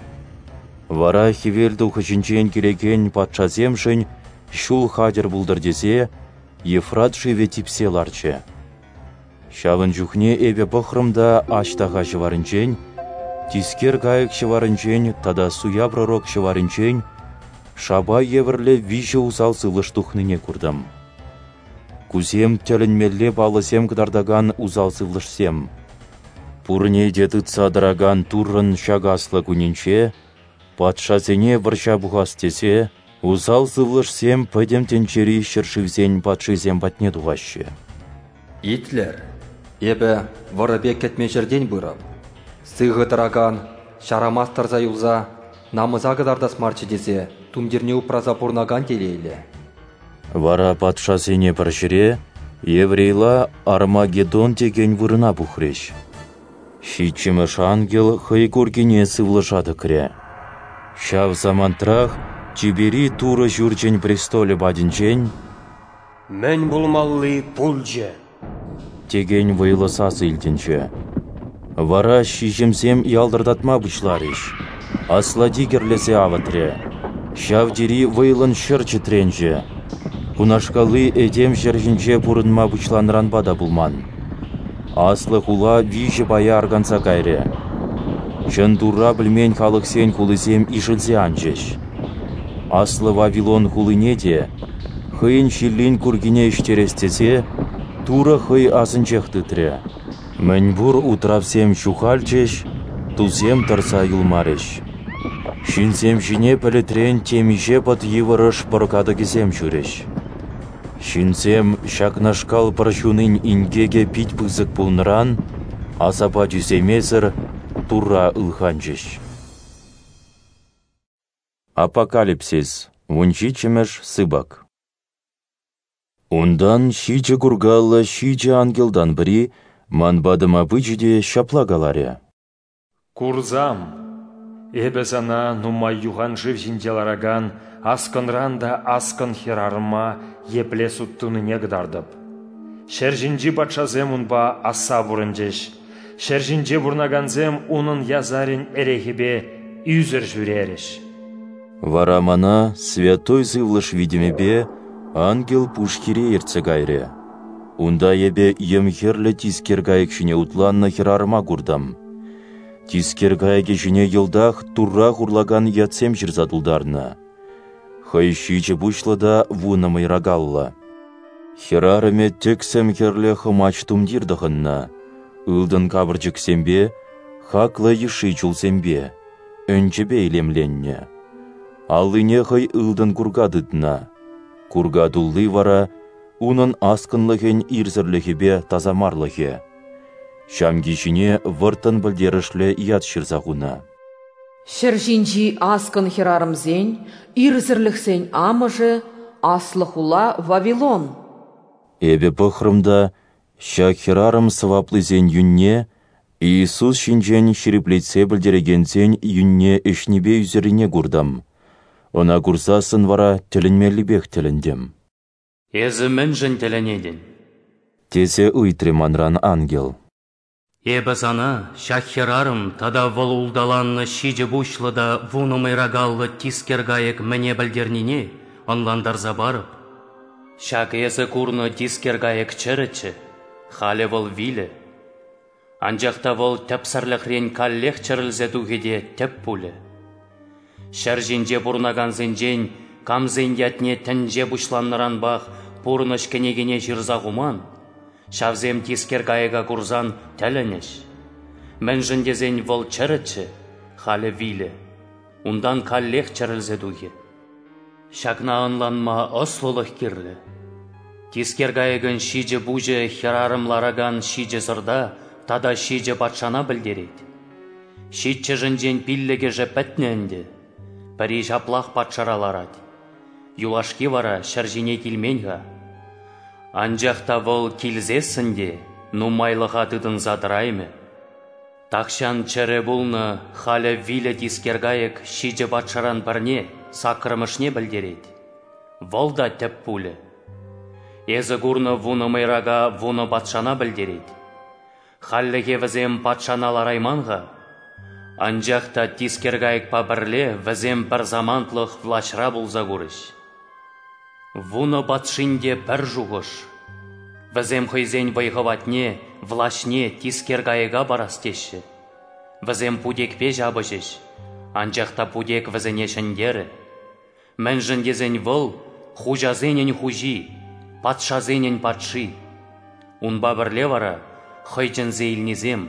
Вара хӗвел тухӑҫӗнчен килекен патшасемшӗн ҫул хатӗр пултӑр тесе Ефрат шывӗ типсе ларчӗ. Ҫавӑн чухне эпӗ пӑхрӑм та аҫтаха ҫӑварӗнчен, тискер кайӑк ҫӑварӗнчен тата суя пророк ҫӑварӗнчен шапа евӗрлӗ виҫӗ усал сывлӑш тухнине куртӑм. Кусем тӗлӗнмелле паллӑсем кӑтартакан усал сывлӑшсем. Пурне те тытса тӑракан Туррӑн ҫак аслӑ кунӗнче патшасене вӑрҫа пухас тесе усал сывлӑшсем пӗтӗм тӗнчери ҫӗршывсен патшисем патне тухаҫҫӗ. Итлӗр, эпӗ вӑрӑ пек кӗтмен ҫӗртен пырӑп. Сыхӑ тӑракан, ҫарамас тӑрса юлса, намӑса кӑтартас марччӗ тесе тумтирне упраса пурӑнакан телейлӗ. Вара патшасене пӗр ҫӗре, еврейла Армагеддон текен вырӑна пухрӗҫ. Ҫиччӗмӗш ангел хӑй куркине сывлӑша тӑкрӗ. Ҫав самантрах тӳпери Турӑ ҫурчӗн престолӗ патӗнчен «Мӗн пулмалли пулчӗ!» текен вӑйлӑ сасӑ илтӗнчӗ. Вара ҫиҫӗмсем ялтӑртатма пуҫларӗҫ, аслати кӗрлесе авӑтрӗ, ҫав тери вӑйлӑн ҫӗр чӗтренчӗ. Кунашкалли этем ҫӗр ҫинче пурӑнма пуҫланӑранпа та пулман. Аслӑ хула виҫӗ пая арканса кайрӗ. Чӑн Турра пӗлмен халӑхсен хулисем ишӗлсе анчӗҫ. Аслӑ Вавилон хулине те, хӑйӗн ҫиллин куркине ӗҫтерес тесе, Турӑ хӑй асӗнчех тытрӗ. Мӗнпур утравсем ҫухалчӗҫ, тусем тӑрса юлмарӗҫ. Ҫынсем ҫине пӗлӗтрен темиҫе пӑт йывӑрӑш пӑр катӑкӗсем ҫурӗҫ. Ҫынсем ҫакнашкал пӑр ҫунин инкекӗ пит пысӑк пулнӑран асапа тӳсеймесӗр Турра ылханчӗҫ. Апокалипсис, вунҫиччӗмӗш сыпӑк. Унтан ҫичӗ куркаллӑ ҫичӗ ангелтан пӗри ман патӑма пычӗ те ҫапла каларӗ: Курсам, эпӗ сана нумай юхан шыв ҫинче ларакан аскӑнран та аскӑн хӗрарӑма епле суд тунине кӑтартӑп. Ҫӗр ҫинчи патшасем унпа асса пурӑнчӗҫ, ҫӗр ҫинче пурӑнакансем унӑн ясарӗн эрехӗпе ӳсӗр ҫӳрерӗҫ. Вара мана Святой Сывлӑш витӗмӗпе ангел пушхире ертсе кайрӗ. Унта эпӗ йӗм-хӗрлӗ тискер кайӑк ҫине утланнӑ хӗрарӑма куртӑм. Тискер кайӑкӗ ҫине йӑлтах Турра хурлакан ятсем ҫырса тултарнӑ. Хӑй ҫичӗ пуҫлӑ та вунӑ мӑйракаллӑ. Хӗрарӑмӗ тӗксӗм хӗрлӗ хӑмач тумтир тӑхӑннӑ, ылтӑн капӑрчӑксемпе, хаклӑ йышши чулсемпе, ӗнчӗпе илемленнӗ. Аллине хӑй ылтӑн курка тытнӑ. Курка тулли вара унӑн аскӑнлӑхӗн ирсӗрлӗхӗпе тасамарлӑхӗ. Ҫамки ҫине вӑрттӑн пӗлтерӗшлӗ ят ҫырса хунӑ. Ҫӗр ҫинчи аскӑн хӗрарӑмсен, ирсӗрлӗхсен амӑшӗ, аслӑ хула Вавилон. Эпӗ пӑхрӑм та ҫак хӗрарӑм сӑваплисен юнне, Иисус ҫинчен ҫирӗплетсе пӗлтерекенсен юнне ӗҫнипе ӳсӗррине куртӑм. Ӑна курсассӑн вара тӗлӗнмеллипех тӗлӗнтӗм. Эсӗ мӗншӗн тӗлӗнетӗн? Тесе ыйтрӗ манран ангел. Эпӗ сана ҫак хӗрарӑм тата вӑл улталаннӑ ҫичӗ пуҫлӑ та вунӑ мӑйракаллӑ тискер кайӑк мӗне пӗлтернине ӑнлантарса парӑп. Ҫак эсӗ курнӑ тискер кайӑк чӗрӗччӗ, халӗ вӑл вилӗ. Анчах та вӑл тӗпсӗрлӗхрен каллех чӗрӗлсе тухӗ те тӗп пулӗ. Ҫӗр ҫинче пурӑнакансенчен камсен ятне тӗнче пуҫланнӑранпах пурнӑҫ кӗнекине ҫырса хуман, ҫавсем тискер кайӑка курсан тӗлӗнӗҫ. Мӗншӗн тесен вӑл чӗрӗччӗ, халӗ вилӗ, унтан каллех чӗрӗлсе тухӗ. Ҫакна ӑнланма ӑслӑлӑх кирлӗ. Тискер кайӑкӑн ҫичӗ пуҫӗ хӗрарӑм ларакан ҫичӗ сӑрта тата ҫичӗ патшана пӗлтерет. Ҫиччӗшӗнчен пиллӗкӗшӗ пӗтнӗ ӗнтӗ, пӗри ҫаплах патшара ларать. Юлашки вара ҫӗр ҫине килмен-ха. Анчах та вӑл килсессӗн те нумайлӑха тытӑнса тӑраймӗ. Тахҫан чӗрӗ пулнӑ, халӗ вилӗ тискер кайӑк ҫичӗ патшаран пӗрне, саккӑрмӗшне пӗлтерет. Вӑл та тӗп пулӗ. Эсӗ курнӑ вунӑ мӑйрака вунӑ патшана пӗлтерет. Хальлӗхе вӗсем патшана ларайман-ха. Анчах та тискер кайӑкпа пӗрле вӗсем пӗр самантлӑх влаҫра пулса курӗҫ. Вунӑ патшин те пӗр шухӑш. Вӗсем хӑйсен вӑй-хӑватне, влаҫне тискер кайӑка парас теҫҫӗ. Вӗсем путекпе ҫапӑҫӗҫ, анчах та путек вӗсене ҫӗнтерӗ. Мӗншӗн тесен вӑл хуҫасенӗн хуҫи, патшасенӗн патши. Унпа пӗрле вара хӑй чӗнсе илнисем,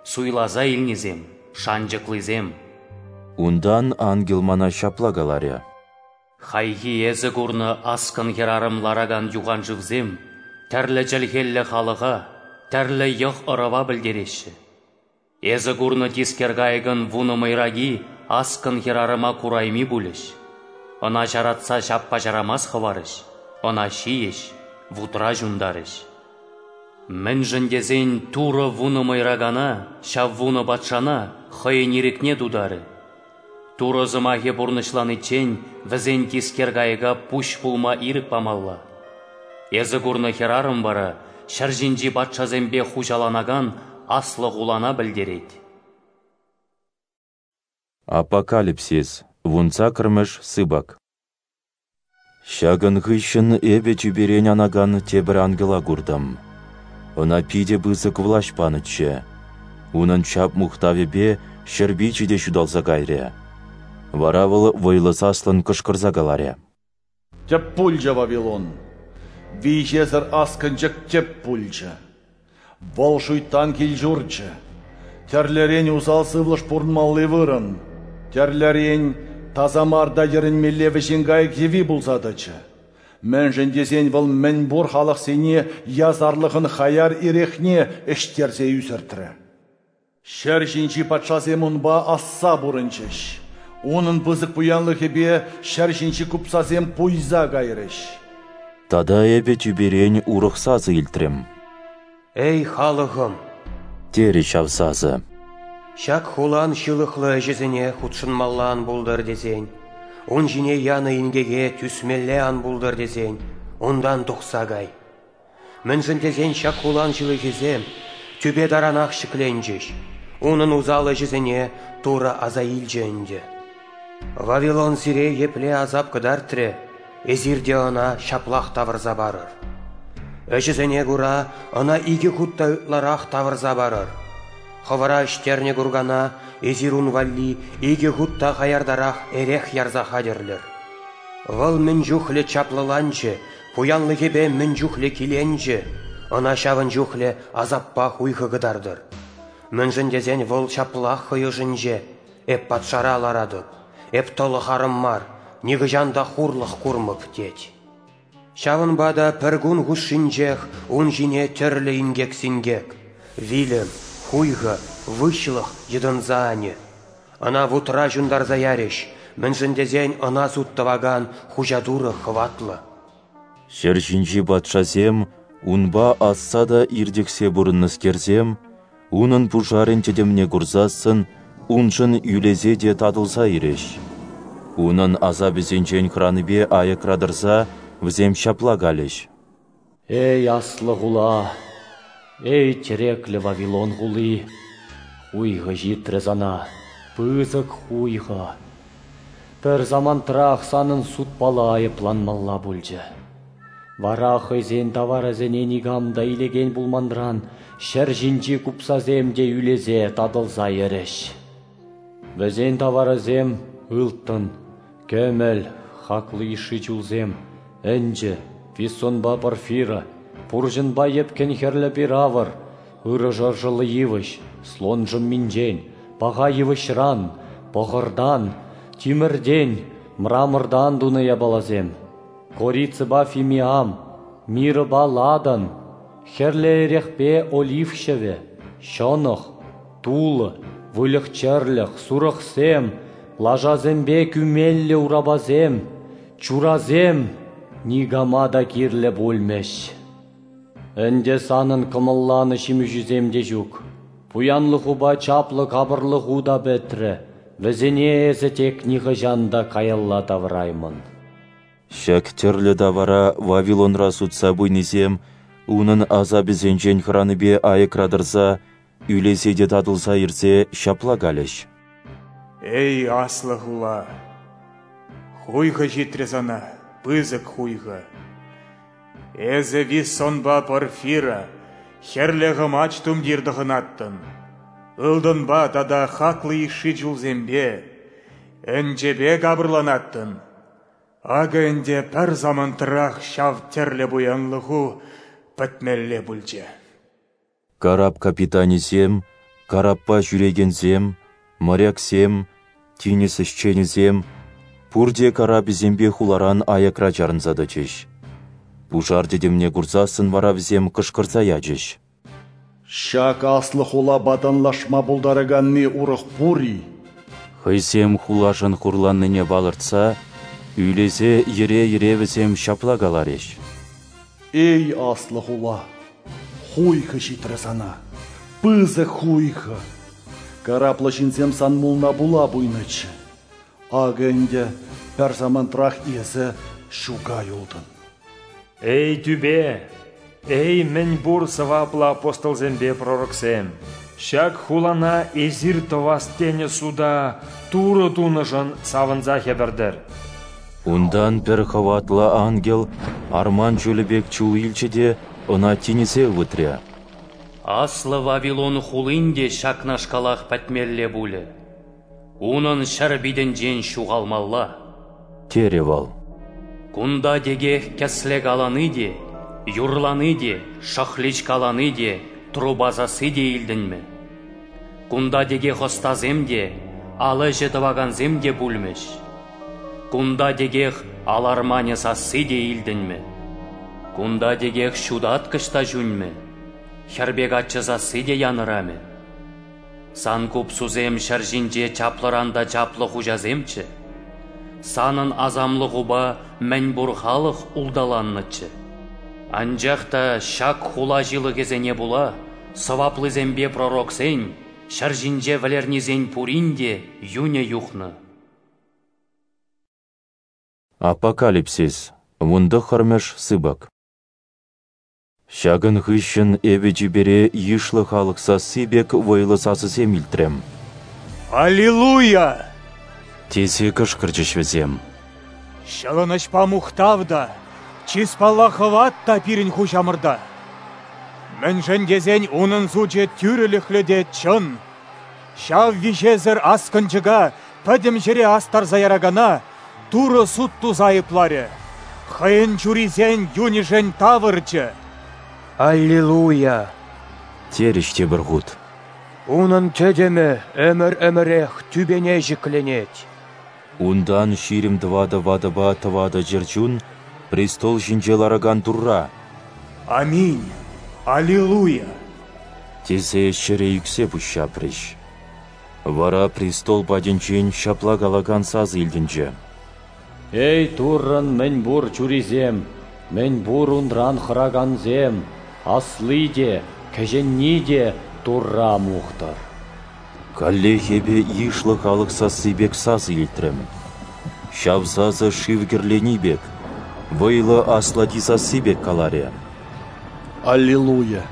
суйласа илнисем, шанчӑклисем. Унтан ангел мана ҫапла каларӗ: Хайхи эсӗ курнӑ аскӑн хӗрарӑм ларакан юханшывсем тӗрлӗ чӗлхеллӗ халӑха, тӗрлӗ йӑх-ӑрӑва пӗлтереҫҫӗ. Эсӗ курнӑ тискер кайӑкӑн вунӑ мӑйраки аскӑн хӗрарӑма курайми пулӗҫ. Ӑна ҫаратса ҫаппа-ҫарамас хӑварӗҫ, ӑна ҫийӗҫ, вутра ҫунтарӗҫ. Мӗншӗн тесен Турӑ вунӑ мӑйракана, ҫав вунӑ патшана хӑйӗн ирӗкне тутарӗ. Турӑ сӑмахӗ пурнӑҫланиччен вӗсен тискер кайӑка пуҫ пулма ирӗк памалла. Эсӗ курнӑ хӗрарӑм вара ҫӗр ҫинчи патшасемпе хуҫаланакан аслӑ хулана пӗлтерет. Апокалипсис, вунсаккӑрмӗш сыпӑк. Ҫакӑн хыҫҫӑн эпӗ тӳперен анакан тепӗр ангела куртӑм. Ӑна питӗ пысӑк влаҫ панӑччӗ. Унӑн чап-мухтавӗпе ҫӗр пичӗ те ҫуталса кайрӗ. Вара вӑл вӑйлӑ саслӑн кӑшкӑрса каларӗ: Тӗп пулчӗ Вавилон, виҫесӗр аскӑнчӑк тӗп пулчӗ. Вӑл шуйттан кил-ҫурчӗ, тӗрлӗрен усал сывлӑш пурӑнмалли вырӑн, тӗрлӗрен таса мар та йӗрӗнмелле вӗҫен кайӑк йӑви пулса тӑчӗ. Мӗншӗн тесен вӑл мӗнпур халӑхсене ясарлӑхӑн хаяр эрехне ӗҫтерсе ӳсӗртрӗ. Ҫӗр ҫинчи патшасем унпа асса пурӑнчӗҫ. Унӑн пысӑк пуянлӑхӗпе ҫӗр ҫинчи купсасем пуйса кайрӗҫ. Тата эпӗ тӳперен урӑх сасӑ илтрӗм. Эй, халӑхӑм! Терӗ ҫав сасӑ. Ҫак хулан ҫылӑхлӑ ӗҫӗсене хутшӑнмалла ан пултӑр тесен, ун ҫине янӑ инкеке тӳсмелле ан пултӑр тесен, унтан тухса кай. Мӗншӗн тесен ҫак хулан ҫылӑхӗсем тӳпе таранах ҫӗкленчӗҫ, унӑн усал ӗҫӗсене Турӑ аса илчӗ ӗнтӗ. Вавилон сире епле асап кӑтартрӗ, эсир те ӑна ҫаплах тавӑрса парӑр. Ӗҫӗсене кура ӑна икӗ хут та ытларах тавӑрса парӑр. Хӑвӑра ӗҫтернӗ куркана эсир ун валли икӗ хут та хаяртарах эрех ярса хатӗрлӗр. Вӑл мӗн чухлӗ чаплӑланчӗ, пуянлӑхӗпе мӗн чухлӗ киленчӗ, ӑна ҫавӑн чухлӗ асаппа хуйхӑ кӑтартӑр. Мӗншӗн тесен вӑл ҫаплах хӑй ӑшӗнче: эп патшара ларатӑп, эп тӑлӑх арӑм мар, нихӑҫан та хурлӑх курмӑп, тет. Ҫавӑнпа та пӗр кун хушшинчех ун ҫине тӗрлӗ инкек-синкек, вилӗм, хуйхӑ, выҫлӑх йӑтӑнса анӗ. Ӑна вутра ҫунтарса ярӗҫ, мӗншӗн тесен ӑна суд тӑвакан Хуҫа Турӑ хӑватлӑ. Ҫӗр ҫинчи патшасем, унпа асса та иртӗхсе пурӑннӑскерсем, унӑн пушарӗн тӗтӗмне курсассӑн уншӑн ӳлесе те татӑлса ирӗҫ. Унӑн асапӗсенчен хӑранипе аякра тӑрса вӗсем ҫапла калӗҫ: Эй, аслӑ хула, эй, тӗреклӗ Вавилон хули, хуйхӑ ҫитрӗ сана, пысӑк хуйхӑ. Пӗр самантрах санӑн судпала айӑпланмалла пулчӗ. Вара хӑйсен таварӗсене никам та илекен пулманран ҫӗр ҫинчи купсасем те ӳлесе татӑлса йӗрӗҫ. Вӗсен таварӗсем ылтӑн, кӗмӗл, хаклӑ йышши чулсем, ӗнчӗ, виссонпа порфира, пурҫӑнпа йӗпкӗн хӗрлӗ пир-авӑр, ырӑ шӑршӑллӑ йывӑҫ, слон шӑмминчен, паха йывӑҫран, пӑхӑртан, тимӗртен, мрамортан тунӑ япаласем, корицӑпа фимиам, мирӑпа ладан, хӗрлӗ эрехпе олив ҫӑвӗ, ҫӑнӑх, тулӑ, выльӑх-чӗрлӗх, сурӑхсем, лашасемпе кӳмеллӗ урапасем, чурасем никама та кирлӗ пулмӗҫ. Ӗнтӗ санӑн кӑмӑлланӑ ҫимӗҫӳсем те ҫук. Пуянлӑхупа чаплӑ капӑрлӑху та пӗтрӗ, вӗсене эсӗ тек нихӑҫан та каялла тавӑраймӑн. Ҫак тӗрлӗ тавара Вавилонра сутса пуйнисем унӑн асапӗсенчен хӑранипе айӑкра тӑрса, ӳлесе те татӑлса ирсе ҫапла калӗҫ. Эй, аслӑ хула! Хуйхӑ ҫитрӗ сана, пысӑк хуйхӑ. Эсӗ виссонпа порфира, хӗрлӗ хӑмач тумтир тӑхӑнаттӑн. Ылтӑнпа тата хаклӑ йышши чулсемпе, ӗнчӗпе капӑрланаттӑн. Акӑ ӗнтӗ пӗр самантрах ҫав тӗрлӗ пуянлӑху пӗтмелле пулчӗ. Карап капитанӗсем, караппа ҫӳрекенсем, моряксем, тинӗс ӗҫченӗсем пурте карапӗсемпе хуларан аякра чарӑнса тӑчӗҫ. Пушар тӗтӗмне курсассӑн вара вӗсем кӑшкӑрса ячӗҫ. Ҫак аслӑ хулапа танлашма пултараканни урӑх пур-и? Хӑйсем хулашӑн хурланнине палӑртса, ӳлесе йӗре-йӗре вӗсем ҫапла каларӗҫ. Эй, аслӑ хула, хуйхӑ ҫитрӗ сана, пысӑк хуйхӑ. Караплӑ ҫынсем сан мулна пула пуйнӑччӗ. Акӑ ӗнтӗ пӗр самантрах эсӗ ҫука юлтӑн. Эй, тӳпе! Эй, мӗнпур сӑваплӑ апостолсемпе пророксем! Ҫак хулана эсир тӑвас тенӗ суда Турӑ тунӑшӑн савӑнса хӗпӗртӗр. Унтан пӗр хӑватлӑ ангел арман чулӗ пек чул илчӗ те ӑна тинӗсе ывӑтрӗ. Аслӑ Вавилон хулин те ҫакнашкалах пӗтмелле пулӗ. Унӑн ҫӗр питӗнчен ҫухалмалла. Терӗ вӑл. Кунта текех кӗсле калани те, юрлани те, шӑхлич калани те, труба сасси те илтӗнмӗ. Кунта текех ӑстасем те, ал ӗҫӗ тӑвакансем те пулмӗҫ. Кунта текех ал арманӗ сасси те илтӗнмӗ. Кунта текех ҫутаткӑҫ та ҫунмӗ, хӗрпе каччӑ сасси те янӑрамӗ. Сан купсусем ҫӗр ҫинче чаплӑран та чаплӑ хуҫасемччӗ. Санӑн асамлӑхупа мӗнпур халӑх улталаннӑччӗ. Анчах та ҫак хула ҫылӑхӗсене пула сӑваплисемпе пророксен, ҫӗр ҫинче вӗлернисен пурин те юнӗ юхнӑ. Апокалипсис, вунтӑххӑрмӗш сыпӑк. Ҫакӑн хыҫҫӑн эпӗ тӳпере йышлӑ халӑх сасси пек вӑйлӑ сасӑсем илтрӗм. Аллилуйя! Тесе кӑшкӑрчӗҫ вӗсем. Ҫӑлӑнӑҫпа мухтав та, чыспалла хӑват та пирӗн хуҫамӑрта. Мӗншӗн тесен унӑн сучӗ тӳрӗлӗхлӗ те чӑн. Ҫав виҫесӗр аскӑнчӑка пӗтӗм ҫӗре астарса яракана Турӑ суд туса айӑпларӗ. Хӑйӗн чурисен юнӗшӗн тавӑрчӗ. Аллилуйя! Терӗҫ тепӗр хут. Унӑн тӗтӗмӗ ӗмӗр-ӗмӗрех тӳпене ҫӗкленет. Унтан ҫирӗм тӑватӑ ватӑпа тӑватӑ чӗрчун престол ҫинче ларакан Турра: Аминь! Аллилуйя! Тесе ҫӗре ӳксе пуҫҫапрӗҫ. Вара престол патӗнчен ҫапла калакан сасӑ илтӗнчӗ. Эй, Туррӑн мӗнпур чурисем, мӗнпур унран хӑракансем, асли те, кӗҫӗнни те Турра мухтӑр. Каллех эпӗ йышлӑ халӑх сасси пек сасӑ илтрӗм. Ҫав сасӑ шыв кӗрлени пек, вӑйлӑ аслати сасси пек каларӗ. Аллилуйя!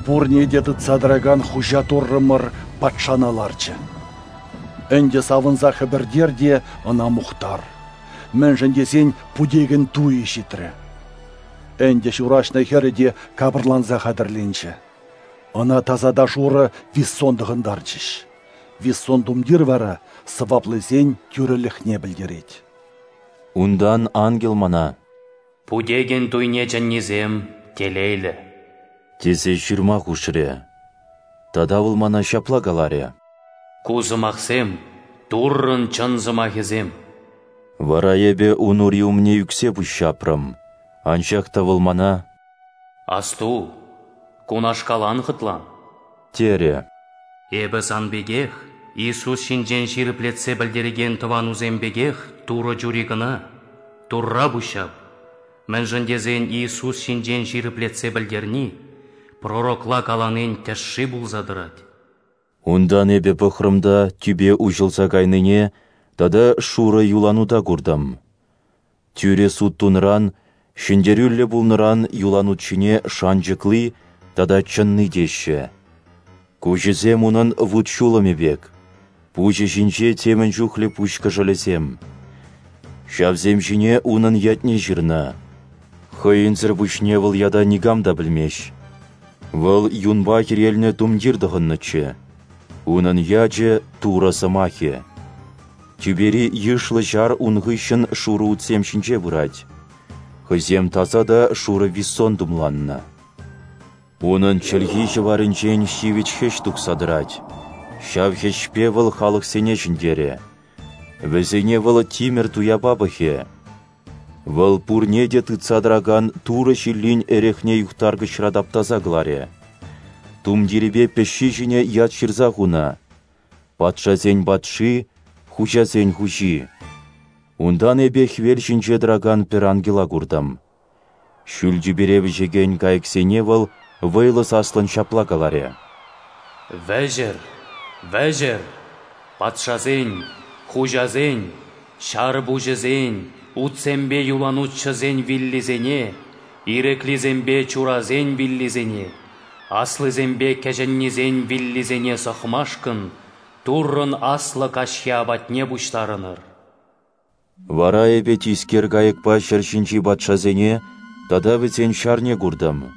Пурне те тытса тӑракан хуҫа Туррӑмӑр патшана ларчӗ. Ӗнтӗ савӑнса хӗпӗртер те ӑна мухтар. Мӗншӗн тесен путекӗн туйӗ ҫитрӗ. Ӗнтӗ ҫураҫнӑ хӗрӗ те капӑрланса хатӗрленчӗ. Ӑна таса та шурӑ виссон тӑхӑнтарчӗҫ. Виссон тумтир вара сӑваплисен тӳрӗлӗхне пӗлтерет. Унтан ангел мана: «Путекӗн туйне чӗннисем телейлӗ», тесе ҫырма хушрӗ. Тата вӑл мана ҫапла каларӗ: «Ку сӑмахсем Туррӑн чӑн сӑмахӗсем». Вара эпӗ ун ури умне ӳксе пуҫҫапрӑм. Анчах та вӑл мана: «Асту, кунашкал ан хӑтлан», терӗ. «Эпӗ сан пекех, Иисус ҫинчен ҫирӗплетсе пӗлтерекен тӑванусем пекех Турӑ чури кӑна. Турра пуҫҫап. Мӗншӗн тесен Иисус ҫинчен ҫирӗплетсе пӗлтерни пророкла каланин тӗшши пулса тӑрать». Унтан эпӗ пӑхрӑм та тӳпе уҫӑлса кайнине тата шурӑ юланута куртӑм. Тӳрӗ суд тунӑран, ҫӗнтерӳллӗ пулнӑран юланут ҫине шанчӑкли тата чӑнни теҫҫӗ. Куҫӗсем унӑн вут-ҫулӑмӗ пек, пуҫӗ ҫинче темӗн чухлӗ пуҫ кӑшӑлӗсем. Ҫавсем ҫине унӑн ятне ҫырнӑ. Хӑйӗнсӗр пуҫне вӑл ята никам та пӗлмест. Вӑл юнпа хӗрелнӗ тумтир тӑхӑннӑччӗ. Унӑн ячӗ Турӑ сӑмахӗ. Тӳпери йышлӑ ҫар ун хыҫҫӑн шурӑ утсем ҫинче пырать. Хӑйсем таса та шурӑ виссон тумланнӑ. Унӑн чӗлхи ҫӑварӗнчен ҫивӗч хӗҫ тухса тӑрать. Ҫав хӗҫпе вӑл халӑхсене ҫӗнтерӗ. Вӗсене вӑл тимӗр туяпа пӑхӗ. Вӑл пурне те тытса тӑракан Турӑ ҫиллин эрехне юхтаркӑчра таптаса кӑларӗ. Тумтирӗпе пӗҫҫи ҫине ят ҫырса хунӑ: «Патшасен патши, хуҫасен хуҫи». Унтан эпӗ хӗвел ҫинче тӑракан пӗр ангела куртӑм. Ҫӳл тӳпере вӗҫекен кайӑксене вӑл вӑйлӑ саслӑн ҫапла каларӗ: «Вӗҫӗр, вӗҫӗр, патшасен, хуҫасен, ҫар пуҫӗсен, утсемпе юланутҫӑсен виллисене, ирӗклисемпе чурасен виллисене, аслисемпе кӗҫӗннисен виллисене сӑхмашкӑн Туррӑн аслӑ каҫхи апатне пуҫтарӑнӑр». Вара эпӗ тискер кайӑкпа ҫӗр ҫинчи патшасене тата вӗсен ҫарне куртӑм.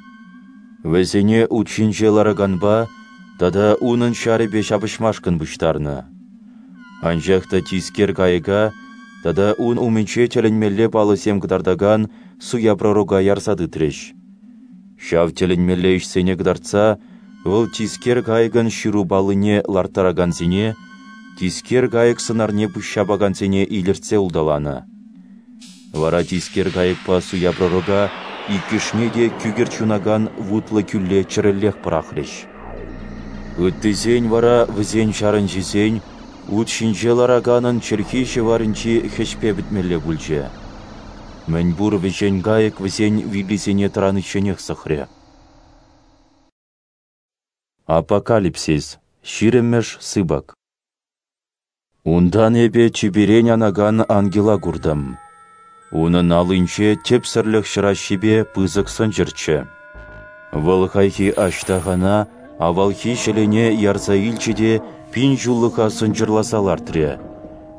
Вӗсене ут ҫинче лараканпа тата унӑн ҫарӗпе ҫапӑҫмашкӑн пуҫтарнӑ. Анчах та тискер кайӑка тата ун умӗнче тӗлӗнмелле паллӑсем кӑтартакан суя пророка ярса тытрӗҫ. Ҫав тӗлӗнмелле ӗҫсене кӑтартса вӑл тискер кайӑкӑн ҫыру паллине ларттаракансене, тискер кайӑк сӑнарне пуҫҫапакансене илӗртсе улталанӑ. Вара тискер кайӑкпа суя пророка иккӗшне те кӳкӗрт ҫунакан вутлӑ кӳлле чӗрӗллех пӑрахрӗҫ. Ыттисен вара вӗсен ҫарӗнчисен ут ҫинче лараканӑн чӗлхи ҫӑварӗнчи хӗҫпе пӗтмелле пулчӗ. Мӗнпур вӗҫен кайӑк вӗсен виллисене тӑраничченех сӑхрӗ. Апокалипсис, ҫирӗммӗш сыпӑк. Унтан эпӗ тӳперен анакан ангела куртӑм. Унӑн аллинче тӗпсӗрлӗх ҫӑраҫҫипе пысӑк сӑнчӑрччӗ. Вӑл хайхи аҫтахана, авалхи ҫӗлене ярса илчӗ те пин ҫуллӑха сӑнчӑрласа лартрӗ.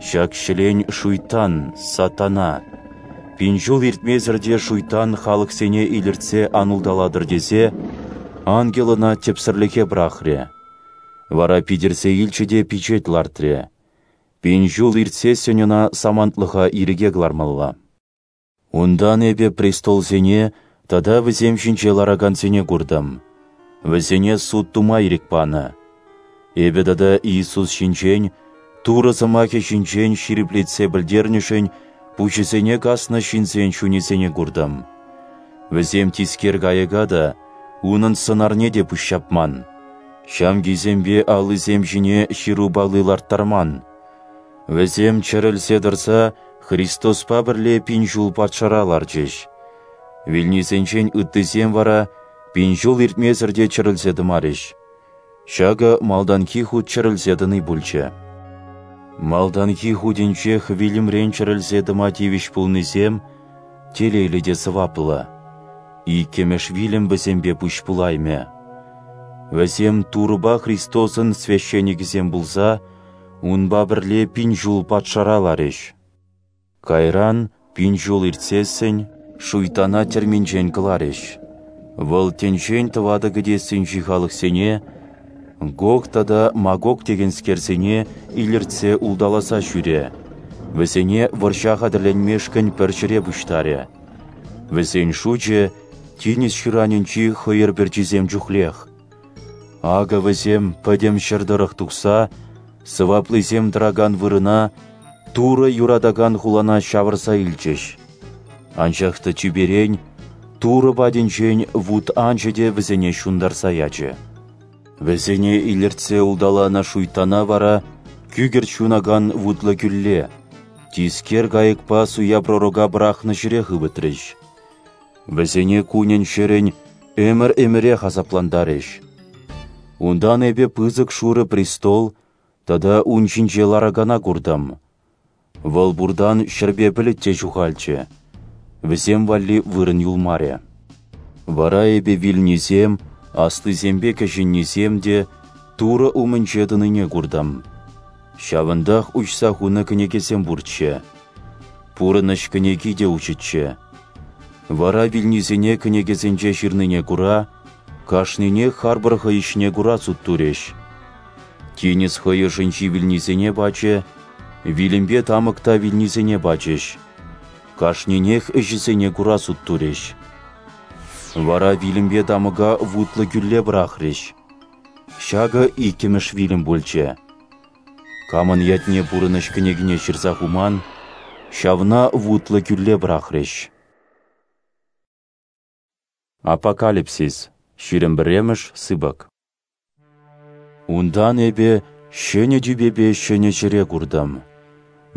Ҫак ҫӗлен шуйттан, сатана. Пин ҫул иртмесӗр те шуйттан халӑхсене илӗртсе ан улталатӑр тесе ангел ӑна тӗпсӗрлӗхе пӑрахрӗ. Вара питӗрсе илчӗ те пичет лартрӗ. Пин ҫул иртсессӗн ӑна самантлӑха ирӗке кӑлармалла. Унтан эпӗ престолсене тата вӗсем ҫинче ларакансене куртӑм. Вӗсене суд тума ирӗк панӑ. Эпӗ тата Иисус ҫинчен, Турӑ сӑмахӗ ҫинчен ҫирӗплетсе пӗлтернӗшӗн пуҫӗсене каснӑ ҫынсен чунӗсене куртӑм. Вӗсем тискер кайӑка та, унӑн сӑнарне те пуҫҫапман. Ҫамкисемпе аллисем ҫине ҫыру палли ларттарман. Вӗсем чӗрӗлсе тӑрса Христоспа пӗрле пин ҫул патшара ларчӗҫ. Вилнисенчен ыттисем вара пин ҫул иртмесӗр те чӗрӗлсе тӑмарӗҫ. Ҫакӑ малтанхи хут чӗрӗлсе тӑни пулчӗ. Малтанхи хутӗнчех вилӗмрен чӗрӗлсе тӑма тивӗҫ пулнисем телейлӗ те сӑваплӑ. Иккӗмӗш вилӗм вӗсемпе пуҫ пулаймӗ. Вӗсем Турӑпа Христосӑн священникӗсем пулса унпа пӗрле пин ҫул патшара ларӗҫ. Кайран, пин ҫул иртсессӗн, шуйттана тӗрминчен кӑларӗҫ. Вӑл тӗнчен тӑватӑ кӗтессинчи халӑхсене, Гог тата Магог текенскерсене илӗртсе улталаса ҫӳрӗ, вӗсене вӑрҫа хатӗрленмешкӗн пӗр ҫӗре пуҫтарӗ. Вӗсен шучӗ тинӗс ҫыранӗнчи хӑйӑр пӗрчисем чухлех. Акӑ вӗсем пӗтӗм ҫӗр тӑрӑх тухса сӑваплисем тӑракан вырӑна, Турӑ юратакан хулана ҫавӑрса илчӗҫ. Анчах та тӳперен, Турӑ патӗнчен вут анчӗ те вӗсене ҫунтарса ячӗ. Вӗсене илӗртсе улталанӑ шуйттана вара кӳкӗрт ҫунакан вутлӑ кӳлле, тискер кайӑкпа суя пророка пӑрахнӑ ҫӗре хывӑтрӗҫ. Вӗсене кунӗн-ҫӗрӗн ӗмӗр-ӗмӗрех асаплантарӗҫ. Унтан эпӗ пысӑк шурӑ престол тата ун ҫинче ларакана куртӑм. Вӑл пуртан ҫӗрпе пӗлӗт те ҫухалчӗ, вӗсем валли вырӑн юлмарӗ. Вара эпӗ вилнисем, аслисемпе кӗҫӗннисем те Турӑ умӗнче тӑнине куртӑм. Ҫавӑнтах уҫса хунӑ кӗнекесем пурччӗ. Пурӑнӑҫ кӗнеки те уҫӑччӗ. Вара вилнисене кӗнекесенче ҫырнине кура, кашнине харпӑр хӑй ӗҫне кура суд турӗҫ. Тинӗс хӑй ӑшӗнчи вилнисене пачӗ, вилӗмпе тамӑк та вилнисене пачӗҫ. Кашнинех ӗҫӗсене кура суд турӗҫ. Вара вилӗмпе тамӑка вутлӑ кӳлле пӑрахрӗҫ. Ҫакӑ иккӗмӗш вилӗм пулчӗ. Камӑн ятне пурӑнӑҫ кӗнекине ҫырса хуман, ҫавна вутлӑ кӳлле пӑрахрӗҫ. Апокалипсис, ҫирӗм пӗрремӗш сыпӑк. Унтан эпӗ ҫӗнӗ тӳпепе ҫӗнӗ ҫӗре куртӑм.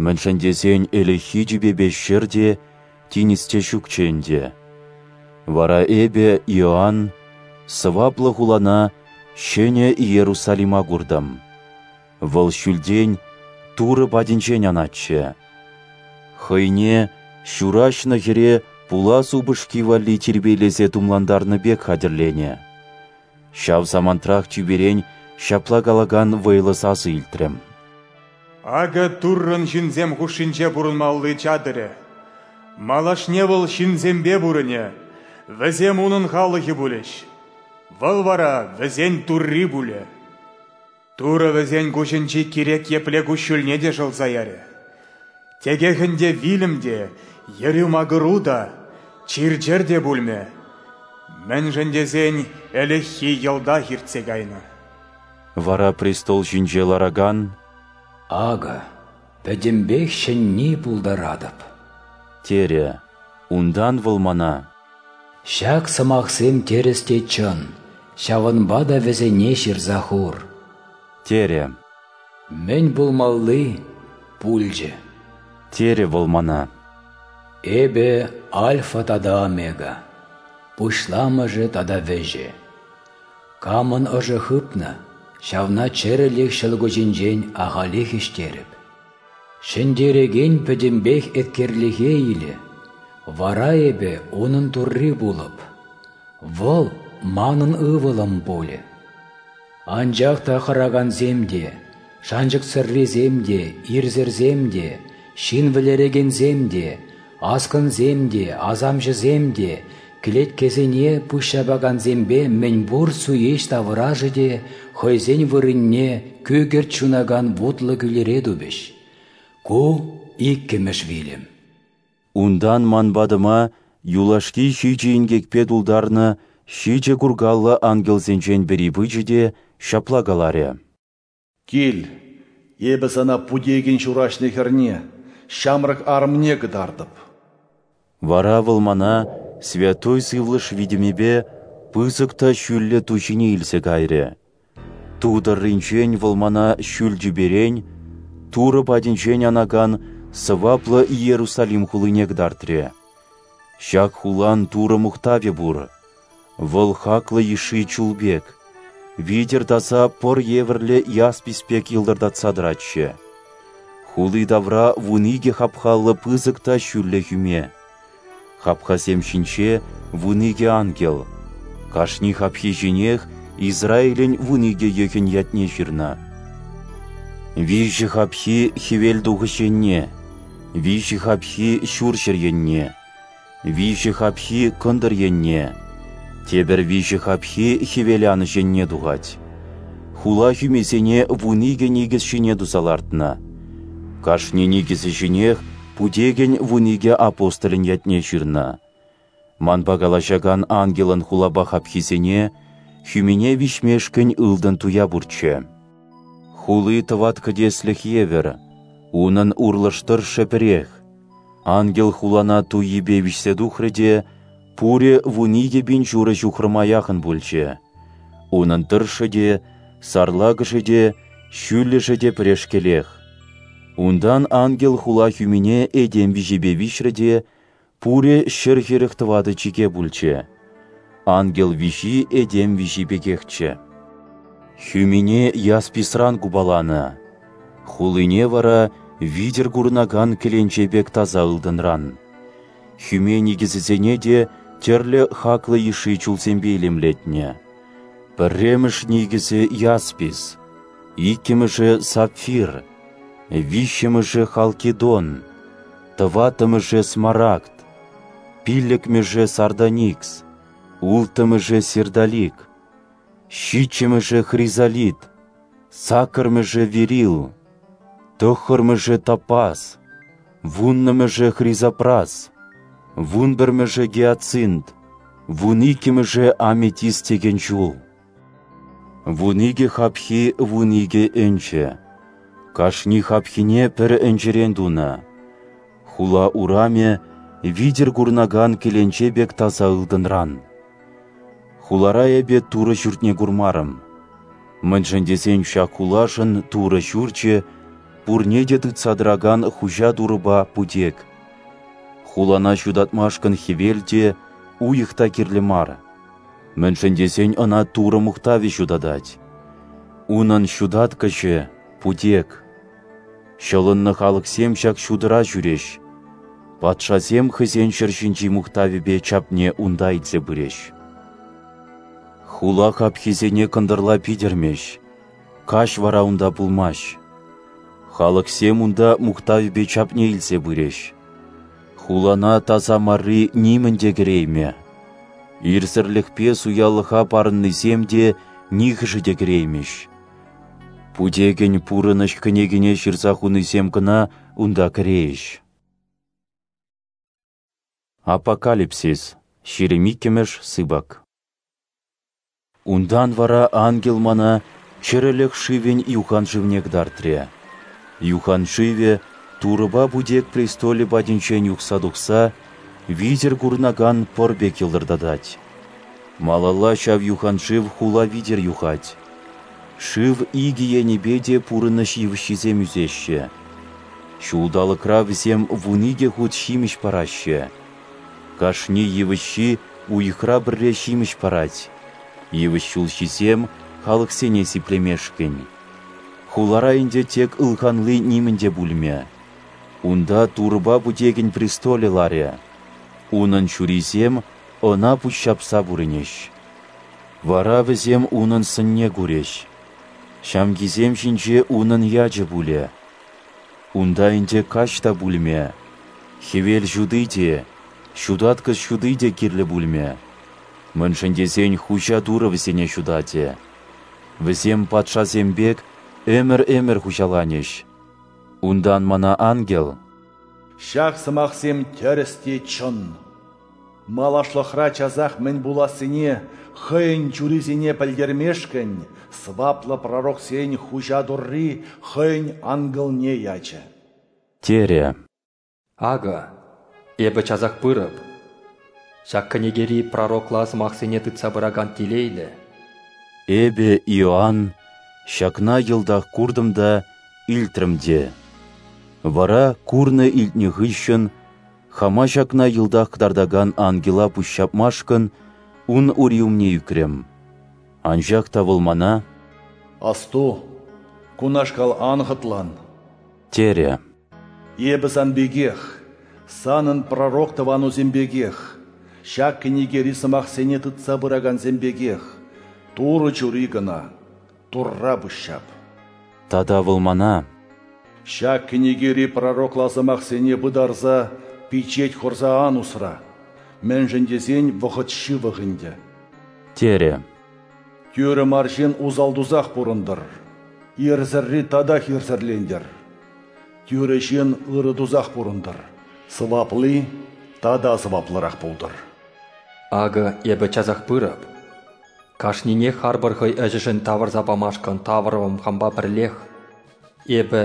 Мӗншӗн тесен ӗлӗкхи тӳпепе ҫӗр те, тинӗс те ҫукчӗ ӗнтӗ. Вара эпӗ, Иоанн, сӑваплӑ хулана, ҫӗнӗ Иерусалима куртӑм. Вӑл ҫӳлтен, Турӑ патӗнчен анатчӗ. Хӑйне ҫураҫнӑ хӗре пулас упӑшки валли тирпейлесе тумлантарнӑ пек хатӗрленӗ. Ҫав самантрах тӳперен ҫапла калакан вӑйлӑ сасӑ илтрӗм. Акӑ Туррӑн ҫынсем хушшинче пурӑнмалли чатӑрӗ. Малашне вӑл ҫынсемпе пурӑнӗ, вӗсем унӑн халӑхӗ пулӗҫ. Вӑл вара вӗсен Турри пулӗ. Турӑ вӗсен куҫӗнчи кирек епле куҫҫульне те шӑлса ярӗ. Текех ӗнтӗ вилӗм те, йӗрӳ-макӑру та, чир-чӗр те пулмӗ. Мӗншӗн тесен ӗлӗкхи йӑлтах иртсе кайнӑ. Вара престол ҫинче ларакан: «Акӑ, пӗтӗмпех ҫӗнни пултаратӑп», терӗ. Унтан вӑл мана: «Ҫак сӑмахсем тӗрӗс те чӑн, ҫавӑнпа та вӗсене ҫырса хур», терӗ. «Мӗн пулмалли пулчӗ», терӗ вӑл мана. «Эпӗ Альфа тата Омега, пуҫламӑшӗ тата вӗҫӗ. Камӑн ӑшӗ хыпнӑ, ҫавна чӗрӗлӗх ҫӑлкуҫӗнчен ахалех ӗҫтерӗп. Ҫӗнтерекен пӗтӗмпех еткерлӗхе илӗ, вара эпӗ унӑн Турри пулӑп, вӑл манӑн ывӑлӑм пулӗ. Анчах та хӑракансем те, шанчӑксӑррисем те, ирсӗрсем те, ҫын вӗлерекенсем те, аскӑнсем те, асамҫӑсем те, кӗлеткесене пуҫҫапакансемпе мӗнпур суеҫ таврашӗ те хӑйсен вырӑнне кӳкӗрт ҫунакан вутлӑ кӳлӗре тупӗҫ. Ку иккӗмӗш вилӗм». Унтан ман патӑма юлашки ҫичӗ инкекпе тултарнӑ ҫичӗ куркаллӑ ангелсенчен пӗри пычӗ те ҫапла каларӗ: «Кил, эпӗ сана путекӗн ҫураҫнӑ хӗрне, ҫамрӑк арӑмне кӑтартӑп». Вара вӑл мана Святой Сывлӑш витӗмӗпе пысӑк та ҫӳллӗ ту ҫине илсе кайрӗ. Ту тӑрринчен вӑл мана ҫӳл тӳперен, Турӑ патӗнчен анакан сӑваплӑ Иерусалим хулине кӑтартрӗ. Ҫак хулан Турӑ мухтавӗ пур. Вӑл хаклӑ йышши чул пек, витӗр таса пӑр евӗрлӗ яспис пек йӑлтӑртатса тӑратчӗ. Хули тавра вун икӗ хапхаллӑ пысӑк та ҫӳллӗ хӳме. Хапхасем ҫинче вун икӗ ангел. Кашни хапхи ҫинех Израилӗн вун икӗ йӑхӗн ятне ҫырнӑ. Виҫӗ хапхи хӗвел тухӑҫ енне, виҫӗ хапхи ҫурҫӗр енне, виҫӗ хапхи кӑнтӑр енне, тепӗр виҫӗ хапхи хӗвел анӑҫ енне тухать. хула хӳмисене вун икӗ никӗс ҫине туса лартнӑ. Кашни никӗсӗ ҫинех Путекӗн вун икӗ апостолӗн ятне ҫырнӑ. Манпа калаҫакан ангелӑн хулапа хапхисене, хӳмине виҫмешкӗн ылтӑн туя пурччӗ. Хули тӑват кӗтеслӗх евӗр, унӑн урлӑш тӑршшӗ пӗрех. Ангел хулана туйипе виҫсе тухрӗ те, пурӗ вун икӗ пин ҫурӑ ҫухрӑма яхӑн пулчӗ. Унӑн тӑршшӗ те, сарлакӑшӗ те, ҫӳллӗшӗ те пӗрешкелех. Унтан ангел хула хӳмине этем виҫипе виҫрӗ те, пурӗ ҫӗр хӗрӗх тӑватӑ чике пулчӗ. Ангел виҫи этем виҫи пекехчӗ. Хӳмине ясписран купаланӑ, хулине вара витӗр курӑнакан кӗленче пек таса ылтӑнран. Хӳме никӗсӗсене те тӗрлӗ хаклӑ йышши чулсемпе илемлетнӗ. Пӗрремӗш никӗсӗ яспис, иккӗмӗшӗ сапфир, виҫҫӗмӗшӗ халкидон, тӑваттӑмӗшӗ смарагд, пиллӗкмӗшӗ сардоникс, улттӑмӗшӗ сердолик, ҫиччӗмӗшӗ хризолит, саккӑрмӗшӗ верил, тӑххӑрмӗшӗ топаз, вуннӑмӗшӗ хризопраз, вун пӗрмӗшӗ гиацинт, вун иккӗмӗшӗ аметист текен чул. Вун икӗ хапхи вун икӗ ӗнчӗ. Кашни хапхине пӗр ӗнчӗрен тунӑ. Хула урамӗ витӗр курӑнакан кӗленче пек таса ылтӑнран. Хулара эпӗ Турӑ ҫуртне курмарӑм. Мӗншӗн тесен ҫак хулашӑн Турӑ ҫурчӗ пурне те тытса тӑракан хуҫа Турӑпа Путек. Хулана ҫутатмашкӑн хӗвел те, уйӑх та кирлӗ мар. Мӗншӗн тесен ӑна Турӑ мухтавӗ ҫутатать. Унӑн ҫутаткӑҫӗ — Путек. Ҫӑлӑннӑ халӑхсем ҫак ҫутӑра ҫӳреҫ. Патшасем хӑйсен ҫӗр ҫинчи мухтавӗпе чапне унта илсе пырӗҫ. Хула хапхисене кӑнтӑрла питӗрмӗҫ, каҫ вара унта пулмасть. Халӑхсем унта мухтавӗпе чапне илсе пырӗҫ. Хулана таса марри нимӗн те кӗреймӗ. Ирсӗрлӗхпе суялӑха парӑннисем те нихӑшӗ те кӗреймӗҫ. Путекӗн пурӑнӑҫ кӗнекине ҫырса хунисем кӑна унта кӗрейӗҫ. Апокалипсис, ҫирӗм иккӗмӗш сыпӑк. Унтан вара ангел мана чӗрӗлӗх шывӗн юхан шывне кӑтартрӗ. Юхан шывӗ Турӑпа Путек престолӗ патӗнчен юхса тухса витӗр курӑнакан пӑр пек йӑлтӑртатать. Малалла ҫав юхан шыв хула витӗр юхать. Шыв икӗ енӗпе те пурӑнӑҫ йывӑҫҫисем ӳсеҫҫӗ. Ҫулталӑкра вӗсем вун икӗ хут ҫимӗҫ параҫҫӗ. Кашни йывӑҫҫи уйӑхра пӗрре ҫимӗҫ парать. Йывӑҫ ҫулҫисем халӑхсене сиплемешкӗн. Хулара ӗнтӗ тек ылханли нимӗн те пулмӗ. Унта Турӑпа Путекӗн престолӗ ларӗ. Унӑн чурисем ӑна пуҫҫапса пурӑнӗҫ. Вара вӗсем унӑн сӑнне курӗҫ. Ҫамкисем ҫинче унӑн ячӗ пулӗ. Унта ӗнтӗ каҫ та пулмӗ, хӗвел ҫути те, ҫутаткӑҫ ҫути те кирлӗ пулмӗ. Мӗншӗн тесен хуҫа Турӑ вӗсене ҫутатӗ. Вӗсем патшасем пек ӗмӗр-ӗмӗр хуҫаланӗҫ. Унтан мана ангел: «Ҫак сӑмахсем тӗрӗс те чӑн. Малашлӑхра часах мӗн пулассине хӑйӗн чурисене пӗлтермешкӗн сӑваплӑ пророксен хуҫа Турри хӑйӗн ангелне ячӗ», терӗ. Акӑ, эпӗ часах пырӑп. Ҫак кӗнекери пророкла сӑмахсене тытса пыракан телейлӗ. Эпӗ, Иоанн, ҫакна йӑлтах куртӑм та, илтрӗм те. Вара курнӑ-илтнӗ хыҫҫӑн хама ҫакна йӑлтах кӑтартакан ангела пуҫҫапмашкӑн ун ури умне ӳкрӗм. Анчах та вӑл мана: «Асту, кунашкал ан хӑтлан», терӗ. «Эпӗ сан пекех, санӑн пророк тӑванусем пекех, ҫак кӗнекери сӑмахсене тытса пыракансем пекех, Турӑ чури кӑна, Турра пуҫҫап». Тата вӑл мана: «Ҫак кӗнекери пророкла сӑмахсене пытарса, пичет хурса ан усра, мӗншӗн тесен вӑхӑт ҫывӑх ӗнтӗ», терӗ. Тӳрӗ мар ҫын усал тусах пурӑнтӑр, ирсӗрри татах ирсӗрлентӗр. Тӳрӗ ҫын ырӑ тусах пурӑнтӑр, сӑвапли тата сӑваплӑрах пултӑр. Акӑ Эпӗ часах пырӑп. Кашнине харпӑр хӑй ӗҫӗшӗн тавӑрса памашкӑн тавӑрӑвӑм хампа пӗрлех. Эпӗ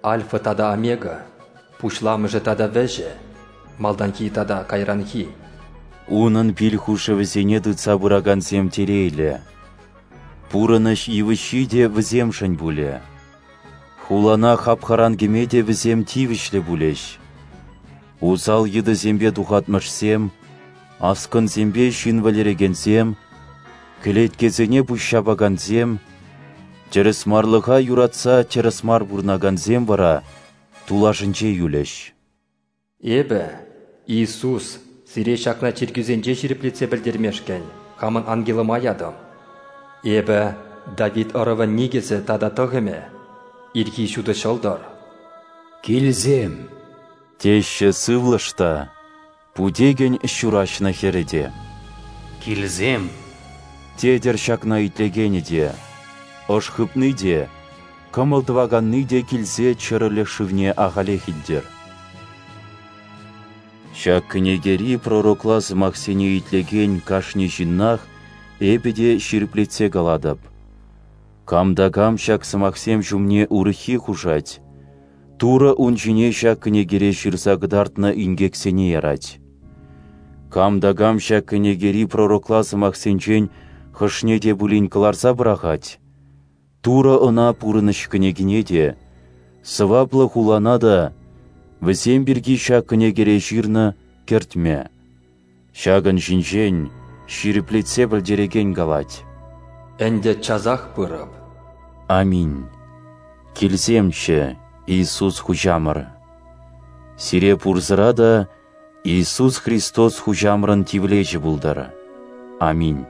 Альфа тата Омега, пуҫламӑшӗ тата вӗҫӗ, малтанхи тата кайранхи. Унӑн пил хушӑвӗсене тытса пыракансем телейлӗ. Пурӑнӑҫ йывӑҫҫи те вӗсемшӗн пулӗ. Хулана хапхаран кӗме те вӗсем тивӗҫлӗ пулӗҫ. Усал йытӑсемпе тухатмӑшсем, аскӑнсемпе ҫын вӗлерекенсем, кӗлеткесене пуҫҫапакансем, тӗрӗсмарлӑха юратса тӗрӗс мар пурӑнакансем вара тулашӗнче юлӗҫ. Эпӗ, Иисус, сире ҫакна чиркӳсенче ҫирӗплетсе пӗлтермешкӗн хамӑн ангелӑма ятӑм. Эпӗ Давид ӑрӑвӗн никӗсӗ тата тӑхӑмӗ, ирхи ҫутӑ ҫӑлтӑр. Килсем! Теҫҫӗ сывлӑш та, путекӗн ҫураҫнӑ хӗрӗ те. Килсем! Тетӗр ҫакна итлекенӗ те, ӑш хыпни те, кӑмӑл тӑваканни те килсе чӗрӗлӗх шывне ахалех илтӗр. Ҫак кӗнекери пророкла сӑмахсене итлекен кашни ҫыннах эпӗ те ҫирӗплетсе калатӑп. Кам та кам ҫак сӑмахсем ҫумне урӑххи хушать, Турӑ ун ҫине ҫак кӗнекере ҫырса кӑтартнӑ инкексене ярать. Кам та кам ҫак кӗнекери пророкла сӑмахсенчен хӑшне те пулин кӑларса пӑрахать, Турӑ ӑна пурӑнӑҫ кӗнекине те, сӑваплӑ хулана та, вӗсем пирки ҫак кӗнекере ҫырнӑ кӗртмӗ. Ҫакӑн ҫинчен ҫирӗплетсе пӗлтерекен калать. Ӗнтӗ часах пырӑп. Аминь. Килсемччӗ, Иисус Хуҫамӑр. Сире пурсӑра та Иисус Христос Хуҫамӑрӑн тивлечӗ пултӑр. Аминь.